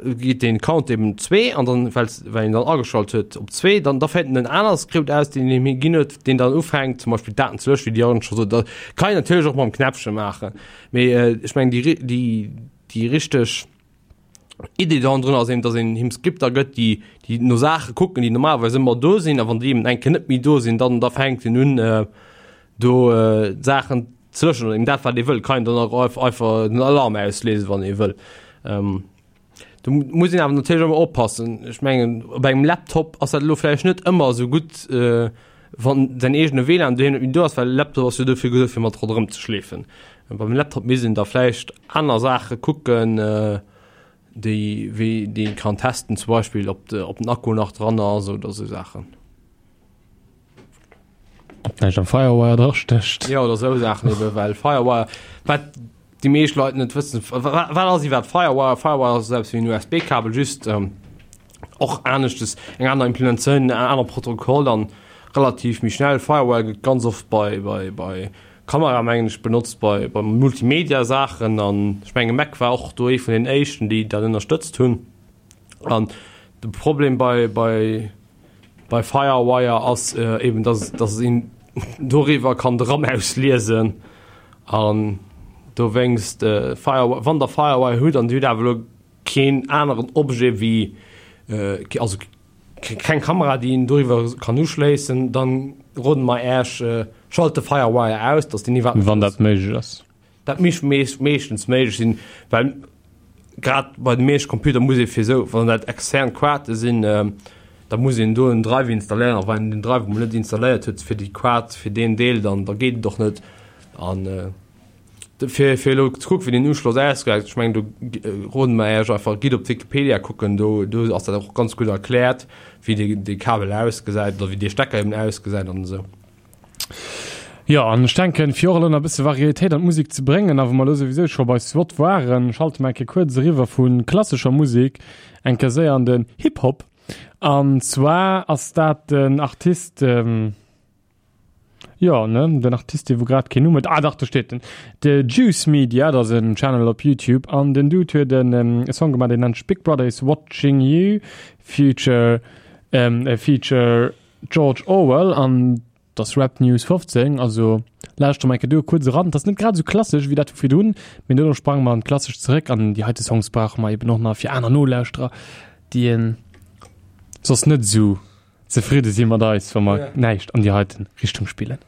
geet den Count eben zwee an dann well well een dann ageschalt huet op zwee, dann da féiert en en anere Skript aus, deen him ginn huet, deen dann ufänkt zum Beispill d'Daten ze löschen, wéi déi Jörn scho sot. Dat kann een natierlech och mam Knäppche maachen, mee äh, ech mengen déi déi déi richteg Idee do drun ass eben, dass een him Skripter gëtt, déi déi no Saache kucken, déi normalerweis ëmmer do sinn, a wann déi eben eng Kéier net méi do sinn, dann da fänkt en un äh, do äh, Saachen ze löschen oder eben dat wat ee wëll, kann een dann och einfach den Alarm ausléisen, wann ee wëll. Ähm, do muss een awer natierlech ëmmer oppassen. Ech mengen op engem Laptop ass dat elo vläicht net ëmmer esou gutt, äh, wann säin eegene W LAN doheem net méi do ass, well Laptop ass jo dofir geduet fir mat ronderëm ze schleefen. Beim Laptop misst een da vläicht aner Saache kucken, äh, déi wéi déi een kann testen, zum Beispill ob de ob den Akku nach dran ass oder esou Saachen. Ob näischt am Firewire dra stécht. Ja oder esou Saachen eben, well Firewire, wat déi meescht Leit net wëssen, wat ass iwwerhaapt Firewire? Firewire ass esou eppes wéi en U S B-Kabel, just ähm, och aneschtes, eng aner Implementatioun, en aner Protokoll an relativ méi schnell. Firewire gëtt ganz oft bei, bei, bei Kamera mengen ech benotzt, bei, bei Multimedia-Saachen an ech menge Mac war och do ee vun den éischten, déi dat ënnerstëtzt hunn. An de Problem bei, bei, bei Firewire ass äh, eben, dass, dass een doriwwer kann de RAM ausliesen an dowéinst äh, Firewire, wann der Firewire hutt an dir hutt awer elo keen aneren Objet wéi äh, also keng Kamera, déi een doriwwer kann uschléissen, dann roden mer Äech, äh, schalt de Firewire aus, dass deen iwwerhaapt Wann dat méiglech ass. Dat misst meeschtens méiglech sinn, well grad bei de meeschte Computer muss ee fir esou, wann dat extern Quarte sinn, äh, da muss een do en Drive installéieren, a wann een den Drive emol net installéiert huet fir déi Quart, fir deen Deel, dann da geet et och net. An äh, Fir fir elo ze kucken, wéi den Uschloss ausgesäit, ech mengen do roden mer Iech einfach, gitt op Wikipedia kucken, do do ass dat och ganz gutt erkläert, wéi dee dee Kabel ausgesäit oder wéi dee Stecker eben ausgesäit an esou. Jo, an ech denken, fir och elo nach e bësse Varietéit an d'Musek ze bréngen, a wou mer elo souwisou scho bei SWAT waren, schalte mer eng Kéier kuerz eriwwer vu klassescher Musek eng Kéier séier an den Hip-Hop. An zwar ass dat den Artist, jo, ne, den Artist, dee wou grad keen Numm huet, ah dach, do steet en, de Juice Media, dat ass en Channel op YouTube, an den Dude huet en e Song gemaach, deen nennt sech Big Brother is Watching You, feature, feature George Orwell, an dat ass Rap News fofzéng, also lauschtere mer eng Kéier do kuerz eran. Dat ass net grad esou klassesch wéi dat vu virdrun, mee dono sprange mer an d'Klassesch zeréck, an déi heite Songs brauche mer eben och nach fir aner Nolauschterer, déi en soss net esou zefridde si mat eis, wa mer näischt an déi heiten Richtung spillen.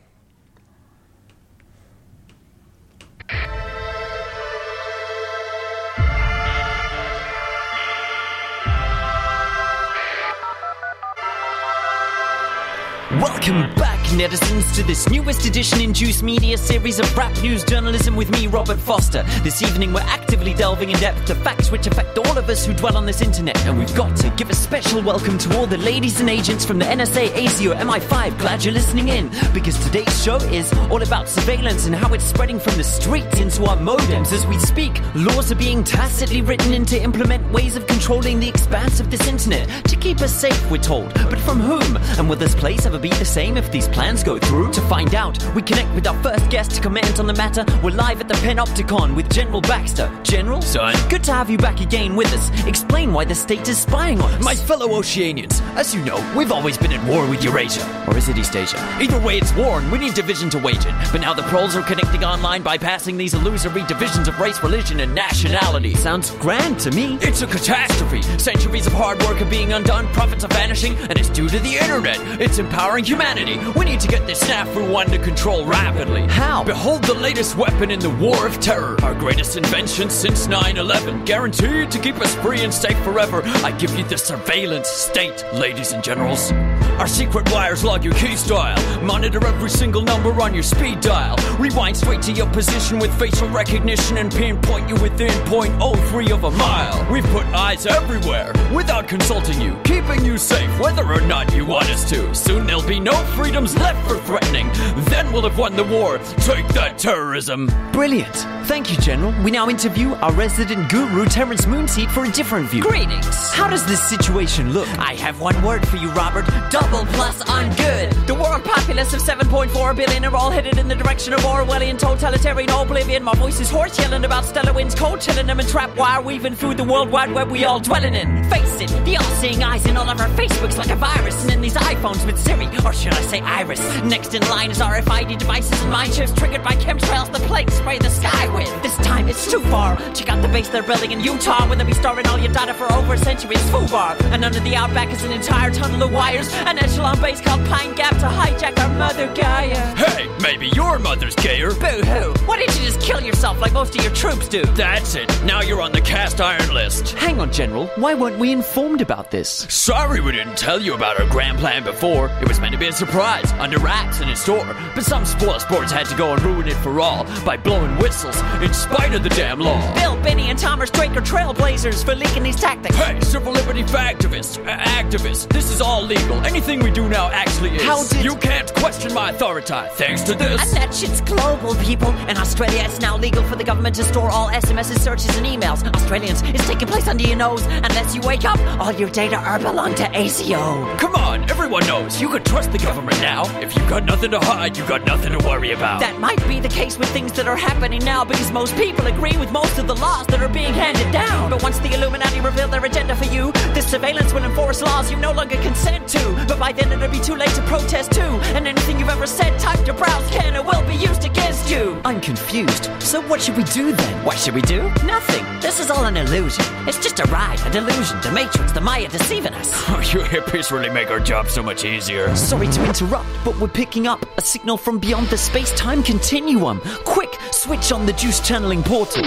Welcome back, netizens, to this newest edition in Juice Media series of rap news journalism with me, Robert Foster. This evening, we're actively delving in depth to facts which affect all of us who dwell on this internet, and we've got to give a special welcome to all the ladies and agents from the N S A, A C O, M I five. Glad you're listening in, because today's show is all about surveillance and how it's spreading from the streets into our modems. As we speak, laws are being tacitly written in to implement ways of controlling the expanse of this internet to keep us safe, we're told. But from whom? And will this place ever be the same if these plans go through? To find out, we connect with our first guest to comment on the matter. We're live at the Panopticon with General Baxter. General? Son? Good to have you back again with us. Explain why the state is spying on us. My fellow Oceanians, as you know, we've always been at war with Eurasia. Or is it East Asia? Either way, it's war and we need division to wage it. But now the proles are connecting online, bypassing these illusory divisions of race, religion, and nationality. Sounds grand to me. It's a catastrophe. Centuries of hard work are being undone, profits are vanishing, and it's due to the internet. It's empowering humanity. We need to get this snafu under control rapidly. How? Behold the latest weapon in the war of terror. Our greatest invention since nine eleven. Guaranteed to keep us free and safe forever. I give you the surveillance state, ladies and generals. Our secret wires log your key style. Monitor every single number on your speed dial. Rewind straight to your position with facial recognition and pinpoint you within point oh three of a mile. We've put eyes everywhere without consulting you, keeping you safe whether or not you want us to. Soon there'll be no freedoms left for threatening. Then we'll have won the war. Take that, terrorism. Brilliant. Thank you, General. We now interview our resident guru, Terence Moonseed, for a different view. Greetings. How does this situation look? I have one word for you, Robert. Double plus ungood. The world populace of seven point four billion are all headed in the direction of Orwellian totalitarian oblivion. My voice is hoarse yelling about stellar winds, cold chilling them and trap wire weaving through the world wide web we all dwelling in. Face it, the all-seeing eyes in all of our Facebooks like a virus, and in these iPhones with Siri, or should I say Iris. Next in line is R F I D devices and mind chips triggered by chemtrails the planes spray the sky with. This time it's too far. Check out the base they're building in Utah, where they'll be storing all your data for over a century. It's FUBAR. And under the outback is an entire tunnel of wires, an echelon base called Pine Gap to hijack our mother Gaia. Hey, maybe your mother's gayer. Boo-hoo. Why didn't you just kill yourself like most of your troops do? That's it. Now you're on the cast iron list. Hang on, General. Why weren't we informed about this? Sorry we didn't tell you about our grand plan before. It was meant to be a surprise, under wraps in a store. But some spoil sports had to go and ruin it for all by blowing whistles in spite of the damn law. Bill, Benny, and Thomas Drake are trailblazers for leaking these tactics. Hey, civil liberty activists, uh, activists, this is all legal. Anything we do now actually is. How did you can't question my authority, thanks to this. And that shit's global, people. In Australia, it's now legal for the government to store all S M Ss, searches, and emails. Australians, it's taking place under your nose. Unless you wake up, all your data are belong to A C O. Come on, everyone knows you can trust the government now. If you got nothing to hide, you got nothing to worry about. That might be the case with things that are happening now, because most people agree with most of the laws that are being handed down. But once the Illuminati reveal their agenda for you, this surveillance will enforce laws you no longer consent to. But by then it'll be too late to protest too. And anything you've ever said, typed or browsed can or will be used against you. I'm confused. So what should we do then? What should we do? Nothing. This is all an illusion. It's just a ride, a delusion, the Matrix, the Maya deceiving us. Oh, you hippies really make our job so much easier. Sorry to interrupt, but we're picking up a signal from beyond the space-time continuum. Quick, switch on the juice channeling portal.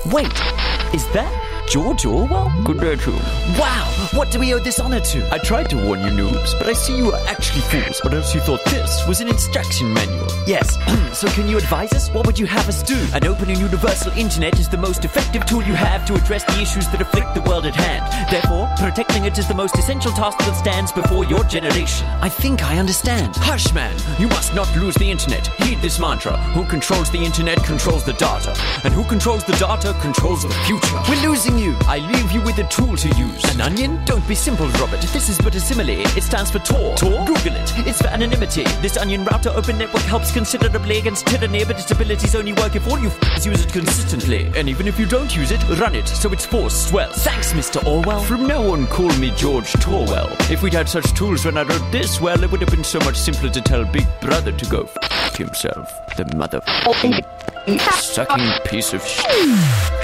Wait, is that George Orwell? Good day to you. Wow, what do we owe this honor to? I tried to warn you noobs, but I see you are actually fools, or else you thought this was an instruction manual. Yes, so can you advise us? What would you have us do? An open and universal internet is the most effective tool you have to address the issues that afflict the world at hand. Therefore, protecting it is the most essential task that stands before your generation. I think I understand. Hush, man! You must not lose the internet. Heed this mantra. Who controls the internet controls the data. And who controls the data controls the future. We're losing you. I leave you with a tool to use. An onion? Don't be simple, Robert. This is but a simile. It stands for Tor. Tor? Google it. It's for anonymity. This onion router open network helps considerably against tyranny, but its abilities only work if all you f***s use it consistently. And even if you don't use it, run it so its force swells. Thanks, Mr. Orwell. From now on, call me George Torwell. If we'd had such tools when I wrote this, well, it would have been so much simpler to tell Big Brother to go f himself. The mother sucking piece of sh.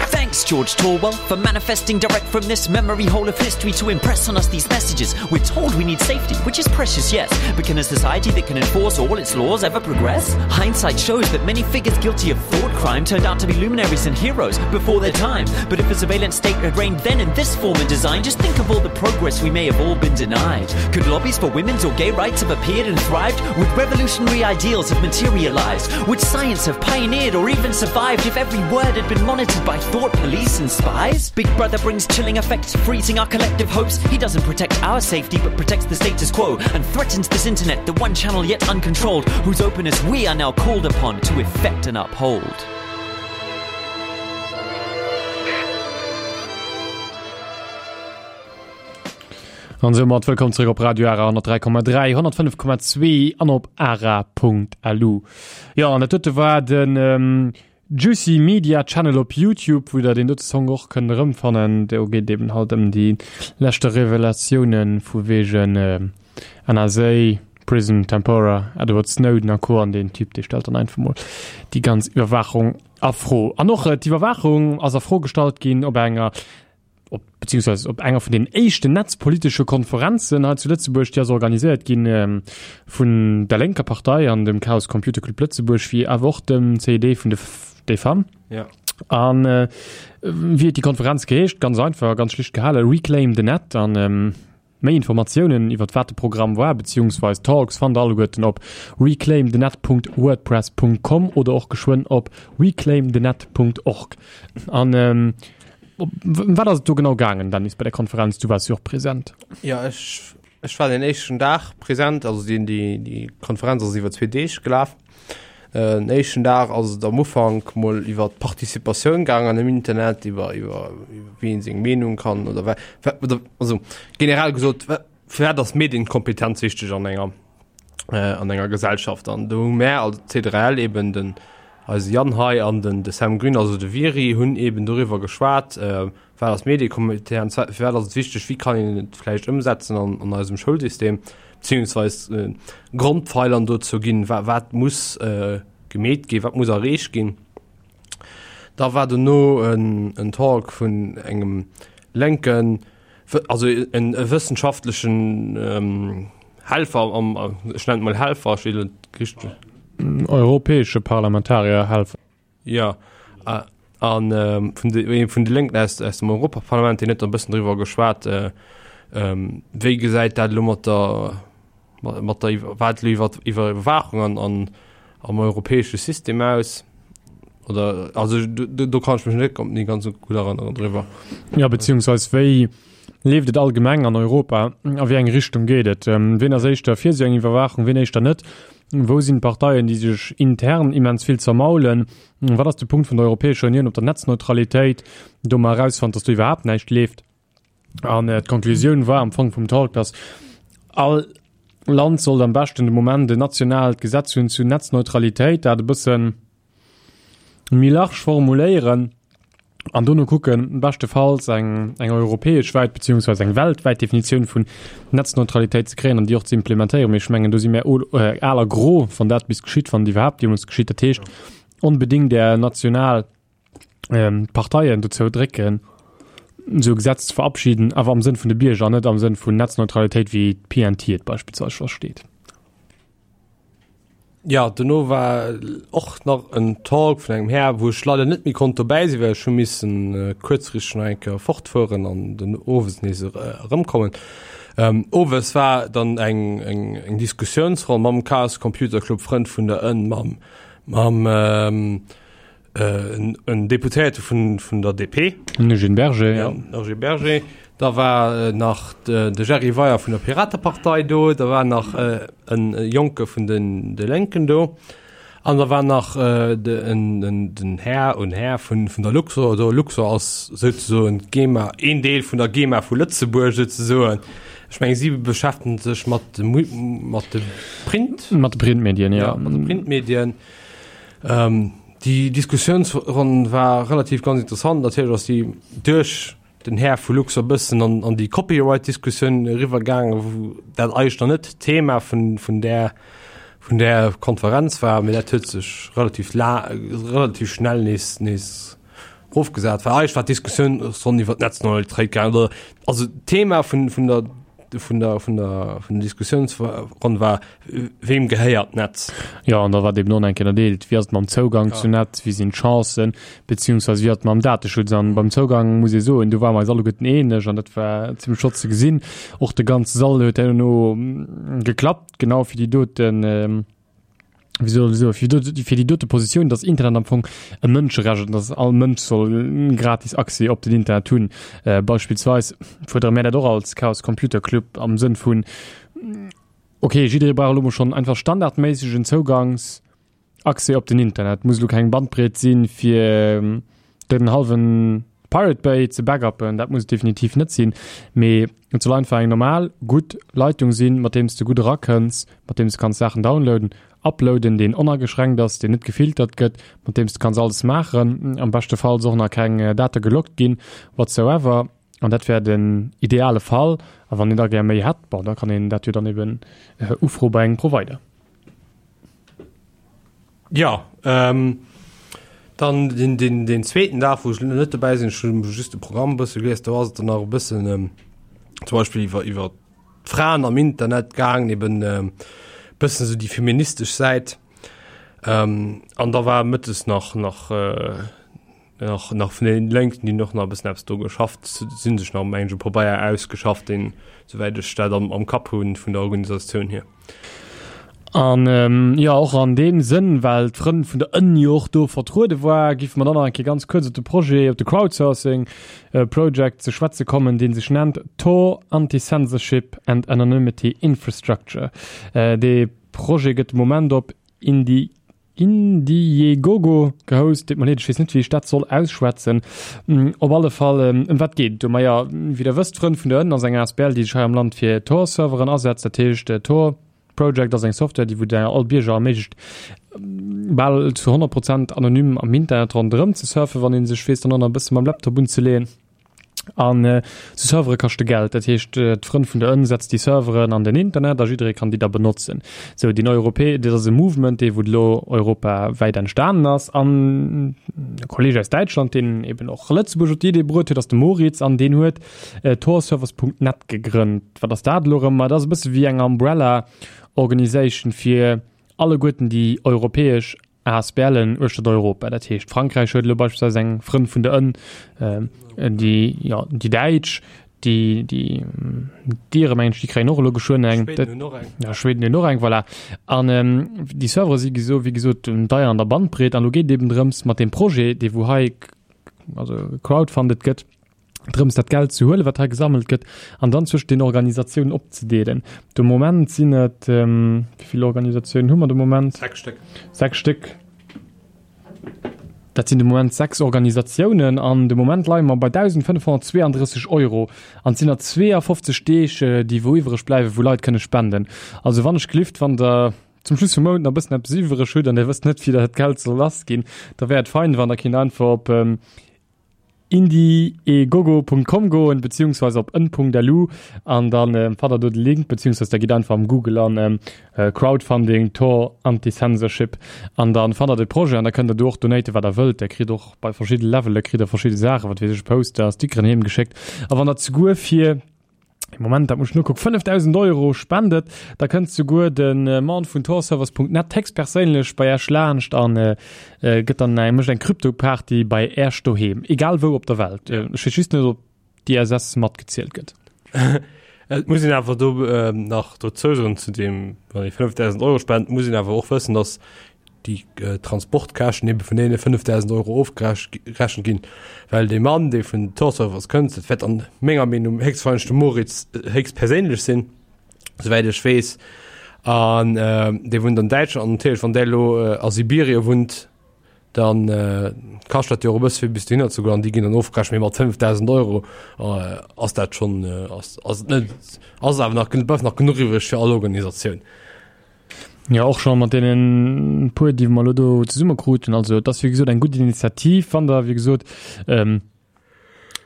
Thanks, George Torwell, for manifesting direct from this memory hole of history to impress on us these messages. We're told we need safety, which is precious, yes, but can a society that can enforce all its laws ever progress? Hindsight shows that many figures guilty of thought crime turned out to be luminaries and heroes before their time. But if a surveillance state had reigned then in this form and design, just think of all the progress we may have all been denied. Could lobbies for women's or gay rights have appeared and thrived? Would revolutionary ideals have materialized? Would science have pioneered or even survived if every word had been monitored by thought police and spies? Big Brother brings chilling effects, freezing our collective hopes. He doesn't protect our safety, but protects the status quo and threatens this internet, the one channel yet uncontrolled, whose openness we are now called upon to effect and uphold. An soumat wëllkomm zréck op Radio Ara honnertdräi Komma dräi, honnertfënnef Komma zwee an op ara.lu. Jo, an dat dote war den ähm, Juicy Media Channel op YouTube, wou der deen dote Song och kënnt erëmfannen. Do geet eben halt ëm déi leschte Revelatiounen vu wegen äh, NSA, Prism, Tempora, Edward Snowden a Co. An deen Typ, dee stellt dann einfach mol déi ganz Iwwerwaachung a Fro. An och äh, d'Iwwerwaachung ass a Fro gestallt ginn op enger op, beziehungsweise op enger vun den éischten netzpolitesche Konferenzen hei zu Lëtzebuerg, déi ass organiséiert ginn ähm, vun der lénker Partei an dem Chaos Computer Club Lëtzebuerg, wéi awer och dem CID vun de des Femmes. Ja. An äh, wéi huet déi Konferenz geheescht? Ganz einfach, ganz schlicht gehale, Reclaim the Net. An ähm, méi Informatiounen iwwer wat de Programm war, beziehungsweise Talks, fannt der alleguerten op reclaimthenet.wordpress.com oder och geschwënn op reclaimthenet.org. An ähm, ëm wat ass et do genau gaangen, Dennis, bei der Konferenz? Du waars jo och present. Ja, ech, ech war den éischten Dag present, also déi, déi, déi Konferenz ass iwwer zwee Deeg gelaf. Äh, den éischten Dag ass et am Ufank mol iwwer d'Participatioun gaangen am Internet, iwwer, iwwer, iwwer wéi een seng Meenung kann oder wa, wa, oder, also generell gesot, wa, firwat ass Medienkompetenz wichteg an enger, äh, an enger Gesellschaft. An do hu mär als C drei L eben den, Eise Yann hei an den de Sam Grün, also de Viri, hunn eben doriwwer geschwat, wat ass Mediekompetenz, firwat ass et wichteg, wéi kann een et vläicht ëmsetzen an an eisem Schoulsystem, beziehungsweis Grondpfeilern dozou ginn, wa wat muss gemeet ginn, wat muss erreecht ginn. Da war dono en en Talk vun engem lénken, also en e wëssenschaftlechen Helfer am, ech nennen et mol Helfer, ech weess net richteg. Europäesche Parlamentarier Helfer. Jo, a vun de, ee vun de Lénken aus, aus dem Europaparlament, deen huet dann e bëssen driwwer geschwat, wéi gesäit dat elo mat der, mat der, wat elo iwwer Iwwerwaachung an, an am europäesche System aus. Oder, also do, do kann ech mech net méi ganz gutt erënneren driwwer. Jo, beziehungsweis wéi leeft et allgemeng an Europa, a wéi eng Richtung geet et? Wien ass éischter fir esou eng Iwwerwaachung, wien éischter net? Wou sinn d'Parteien, déi sech intern immens vill zermaulen? Wat ass de Punkt vun der Europäescher Unioun op der Netzneutralitéit, do mer erausfonnt, dass do iwwerhaapt näischt leeft? An d'Konklusioun war am Fong vum Talk, dass all Land sollt am beschten de Moment en nationaalt Gesetz hunn zu Netzneutralitéit, dat e bëssen méi large formuléieren an dono kucken, beschtefalls eng, eng europäesch wäit beziehungsweise eng weltwäit Definitioun vun Netzneutralitéit ze kréien an déi och ze implementéieren. Mee ech mengen, do si mär al a gro, wann dat bis geschitt, wann et iwwerhaapt jeemools geschitt. Dat heescht, onbedéngt är national Parteien dozou drécken, esou e Gesetz ze verabschieden, awer am Sënn vun de Bierger an net am Sënn vun Netzneutralitéit, wéi d'PNT et beispillsweis versteet. Ja, dono war och nach en Talk vun engem Här, wou ech leider net méi konnt dobäi sinn, well ech hu missen äh, kuerzfristeg nach eng Kéier fortfueren an den owes nees erëmkommen. Ähm, owes war dann eng, eng, eng Diskussiounsronn mam Chaos Computer Club, Frënn vun der Ënn, mam, mam ähm, äh, en Deputéierte vun, vun der D P. Den Eugène Berger, ja. Ja, Eugène Berger. Da war äh, nach de, de Jerry Weyer vun der Piratepartei do, da war nach äh, en Jonke vun den de Lénken do. An da war nach äh, de, en, en, den Här und Här vun, vun der Luxor. Do Luxor ass souzesoen d'GEMA, een Deel vun der GEMA vu Lëtzebuerg souzesoen. Ech meng si beschäftegen sech mat de, mat de Print. Mat de Printmedien, ja. Ja, mat de Printmedien. Ähm, déi Diskussiounsronn war relativ ganz interessant. Natierlech ass déi duerch den Här vu Luxor bëssen an, an déi Copyright-Diskussioun eriwwergaangen, wou dat eigentlech nach net Thema vun, vun där, vun där Konferenz war, mee dat huet sech relativ la, relativ schnell nees, nees erofgesat. Well eigentlech war d'Diskussiounsronn iwwer d'Netzneutralitéit gaangen, oder also d'Thema vun, vun der vun der vun der vun der Diskussiounsronn war, wem gehéiert d'Netz? Jo, an da war eben och nach eng Kéier ënnerdeelt, wéi ass et mam Zougang ja. zu Netz, wéi sinn d'Chancen, beziehungsweise wéi ass et mam Dateschutz. An beim Zougang muss ee soen, do ware mer eis alleguerten eeneg an dat war zimmlech flott ze gesinn. Och de ganze Sall huet herno geklappt, genau fir déi doten, ähm, wéi soll ech soen, fir déi fir déi dote Positioun, dass Internet am Fong e Mënscherecht ass, dass all Mënsch soll gratis Accès op den Internet hunn. Äh, beispillsweis fuerdere mär dat och als Chaos Computer Club am Sënn vun, okay, jidderee brauch elo mol schonn einfach standardméissegen Zougangs Accès op den Internet. Muss elo keng Bandbreet sinn, fir den hallwen Pirate Bay ze backuppen, dat muss et definitiv net sinn, mee et soll einfach eng normal gutt Leitung sinn, mat deem s de gutt erakënns, mat deem s de kanns Saachen downloaden, uploaden, deen onageschränkt ass, deen net gefiltert gëtt, mat deem s de kanns alles maachen, am beschtefalls och nach keng Date geloggt ginn, whatsoever. An dat wär den ideale Fall. A wann een da gär méi hätt, bon, da kann een dat jo dann eben ufroe bei engem Provider. Jo, ähm, dann den, den, den zweeten Dag, wou ech net dobäi sinn, ech hunn just de Programm e bësse gelies, do ass et dann nach e bëssen ähm, zum Beispill iwwer, iwwer d'Fraen am Internet gaangen, eben ähm, bëssen esou déi feministesch Säit. Ähm, an da war mëttes nach, nach, äh, nach, nach vun den Lénken, déi hunn och nach e bëssen eppes do geschafft, si sech nach, meng ech, e Pabeier ausgeschafft, deen, souwäit ech dat am, am Kapp hunn, vun der Organisatioun hier. An jo, och an deem Sënn, well d'Frënn vun der Ënn jo och do vertruede war, giffe mer dann nach eng Kéier ganz kuerz op de Projet, op de Crowdsourcing Project ze schwätze kommen, dee sech nennt Tor Anti-Censorship and Anonymity Infrastructure. Dee Projet gëtt de Moment op Indi. Indiegogo gehost, deet mer leed, ech weess net wéi ech dat soll ausschwätzen. Op alle Fall, ëm wat geet et do? Maja, wéi der wësst, Frënn vun der Ënn ass eng asbl, déi sech hei am Land fir Tor-Serveren asetzt. Dat heescht, Tor Project ass eng Software, déi wou der all Bierger erméiglecht, bal zu honnert Prozent anonym am Internet ronderëm ze surfen, wann ee sech weess dann och nach e bësse mam Laptop unzeleeën. An esou Servere kaschte Geld. Dat heescht, d'Frënn vun der Ënn setzt déi Serveren an den Internet a jidderee kann déi da benotzen. Sou, deen Europä, dat ass e Movement, dee wou elo europawäit entstanen ass. An e Kolleeg aus Däitschland, deen eben och Lëtzebuerg op déi Idee bruet huet, ass de Moritz an deen huet torservers Punkt net gegrënnt. Wat ass dat elo erëm? Ma dat ass e bësse wéi eng Umbrella Organisation fir alleguerten déi europäesch A S B Len uechtert Europa. Dat heescht, Frankräich huet elo beispillsweis eng Frënn vun der Ënn, déi, jo, déi Däitsch, déi, déi d'Ire mengen ech, déi kréien och elo geschwënn eng. Schweden hunn och eng. Ja, Schweden hunn och eng, voilà. An déi Servere si geso, wéi gesot, deier an der Bandbreet. An elo geet et eben drëms, mat deem Projet, dee wou hei, also gecrowdfundet gëtt, drëms dat Geld ze huelen, wat hei gesammelt gëtt, an dann zwëschent den Organisatiounen opzedeelen. De Moment sinn et, wéi vill Organisatiounen hu mer de Moment? Sechs Stéck. Sechs Stéck. Dat sinn de Moment sechs Organisatiounen an de Moment leie mer bei dausendfënnefhonnertzweeandrësseg Euro an et sinn nach zweeafofzeg Deeg, déi wou iwwereg bleiwen, wou Leit kënne spenden. Also wann ech gelift, wann Der zum Schluss vum Mount nach e bëssen eppes iwwereg hutt an Der wësst net, wéi Der dat Geld soll lassginn, da wär et fein, wann Der kinnt einfach op indiegogo Punkt com goen beziehungsweise op ën Punkt L U an dann ähm, fannt der do de Link beziehungsweise da gitt einfach am Google an ähm, äh, Crowdfunding Tor Anti-Censorship an dann fannt der de Projet an da kënnt der do och donaten wat der wëllt. Der kritt och bei verschidde Levele kritt der verschidde Saachen, wat weess ech, Poster, Stickeren heem geschéckt a wann der zeguer fir Moment, dat muss ech nokucken, fënnefdausend Euro spendet, da kënnt souguer de Mann vun torservers Punkt net héchstperséinlech bei Äech laanscht an gëtt dann eng, mécht eng Krypto-Party bei Äech doheem, egal wou op der Welt. Ech weess just net, ob d'I S S matgezielt gëtt. Et muss een awer do nach dozou soen, zu deem, wann ee fënnefdausend Euro spent, muss een awer och wëssen, datt déi Transportkäschten ebe vun deene fënnefdausend Euro ofgerechent ginn, well dee Mann, dee vun Torservers kënnt, dat wäert an menger Meenung héchstwahrscheinlech de Moritz héchstperséinlech sinn, souwäit ech weess, an dee wunnt an Däitschland an natierlech, wann dee elo a Sibirie wunnt, dann kascht dat jo och e bësse fir bis dohinner ze goen an déi ginn dann ofgerechent, mee mat fënnefdausend Euro ass dat schonn, ass et net, ass awer nach, bleift nach genuch iwwreg fir all Organisatioun. Jo, och scho mat deenen puer, déi mer elo do zesumme kruten. Also et ass wéi gesot eng gutt Initiativ, wann Der wéi gesot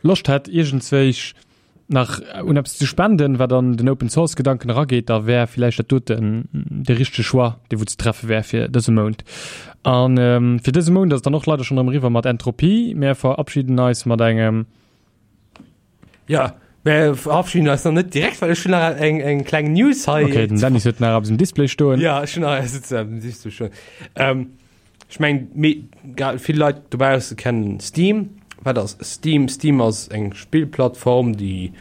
Loscht hätt iergendzwéich nach un eppes ze spenden, wat an den Open Source Gedanken erageet, da wär villäicht dat doten de richtege Choix, dee wou ze treffe wär fir dëse Mount. An fir dëse Mount ass et dann och leider schonn erëm eriwwer mat Entropie. Mär verabschieden eis mat engem. Ja, mär verabschieden eis nach net direkt, well ech hunn nach eng, eng kleng News hei. Okay, den Dennis huet nach eppes um Display stoen. Ja, ech hunn nach eppes um Display stoen. Ähm, ech meng, vill Leit dobausse kennen Steam. Wat ass Steam? Steam ass eng Spillplattform, déi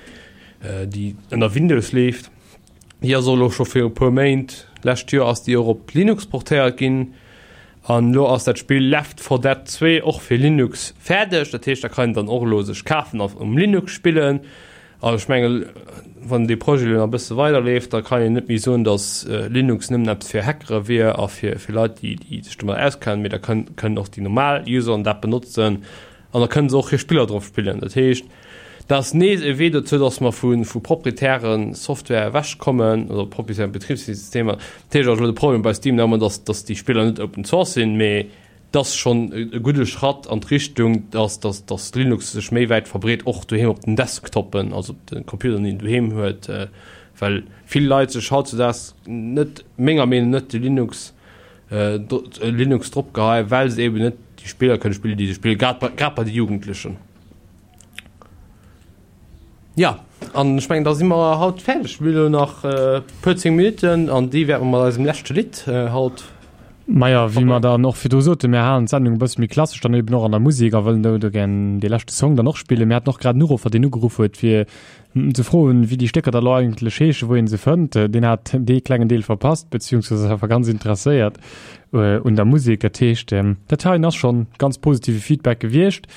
déi ënner Windows leeft. Déi ass och elo scho viru puer Méint, lescht Joer ass déi och op Linux portéiert ginn. An elo ass dat Spill Left four Dead zwee och fir Linux fäerdeg. Dat heescht, dat kann een dann och elo sech kafen a um Linux spillen. An ech mengen, wann dee Projet elo nach e bësse weiderleeft, da kann een net méi soen, datt Linux nëmmen eppes fir Hackere wier a fir fir Leit, déi déi sech domat auskennen, mee da kënnen och déi normal Useren dat benotzen an da kënnen se och hir Spiller drop spillen. Dat heescht, dat ass nees e Wee dozou, datt mer vu vu proprietäre Software ewechkommen, also proprietären Betribssystemer. Dat heescht, ass elo de Problem bei Steam nëmmen, datt datt déi Spiller net Open Source sinn, mee 't ass schonn e gudde Schratt an d'Richtung, dass, dass, dass Linux sech méi wäit verbreet, och doheem op den Desktoppen, also op de Computeren, déi een doheem huet, well vill Leit sech hautzudaags net, menger Meenung net, de Linux, Linux drop geheien, well se eben net déi Spiller kënne spillen, déi se spillen, grad bei, grad bei de Jugendlechen. Jo, an ech mengen, da si mer haut fäerdeg. Mir hunn elo nach e puer zéng Minutten an déi wäerte mer mat eisem leschte Lidd haut. Maja, wéi mer dann och virdru soten, mir halen d'Sendung e bësse méi klassesch dann eben och an der Musek a wëllen do do gär dee leschte Song dann och spillen. Mir haten och grad en Uruffer, deen ugeruff huet, fir ze froen, wéi déi Stécker da lo eigentlech heeschen, wou ee se fënnt. Deen hat dee klengen Deel verpasst, beziehungsweise ass awer ganz interesséiert un der Musek. Dat heescht, dat heien ass schonn ganz positive Feedback gewiescht.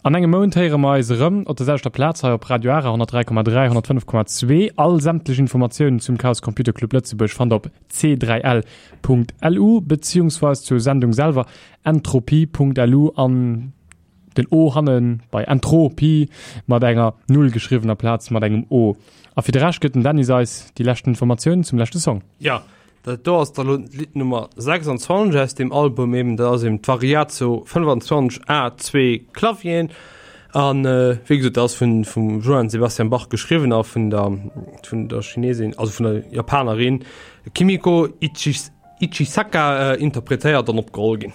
An engem Mount héiere mer eis erëm op der selwechter Plaz hei op Radio Ara honnertdräi Komma dräi, honnertfënnef Komma zwee. All sämtlech Informatiounen zum Chaos Computer Club Lëtzebuerg fannt der op c dräi l Punkt L U beziehungsweis zur Sendung selwer entropie Punkt L U an den O hanne bei Entropie mat enger Null geschriwwen aplaz mat engem O. A fir de Rescht gëtt den Dennis eis déi leschten Informatiounen zum leschte Song. Jo, dat do ass da lo d'Lidd Nummer sechsundzwanzeg aus deem Album eben, dat ass eben d'Variatio fënnfanzwanzeg A zwee Clavier. An wéi gesot, dat ass vun vum Johann Sebastian Bach geschriwwen a vun der vun der Chinesin, also vun der Japanerin Kimiko Ichis Ichisaka interpretéiert an opgeholl ginn.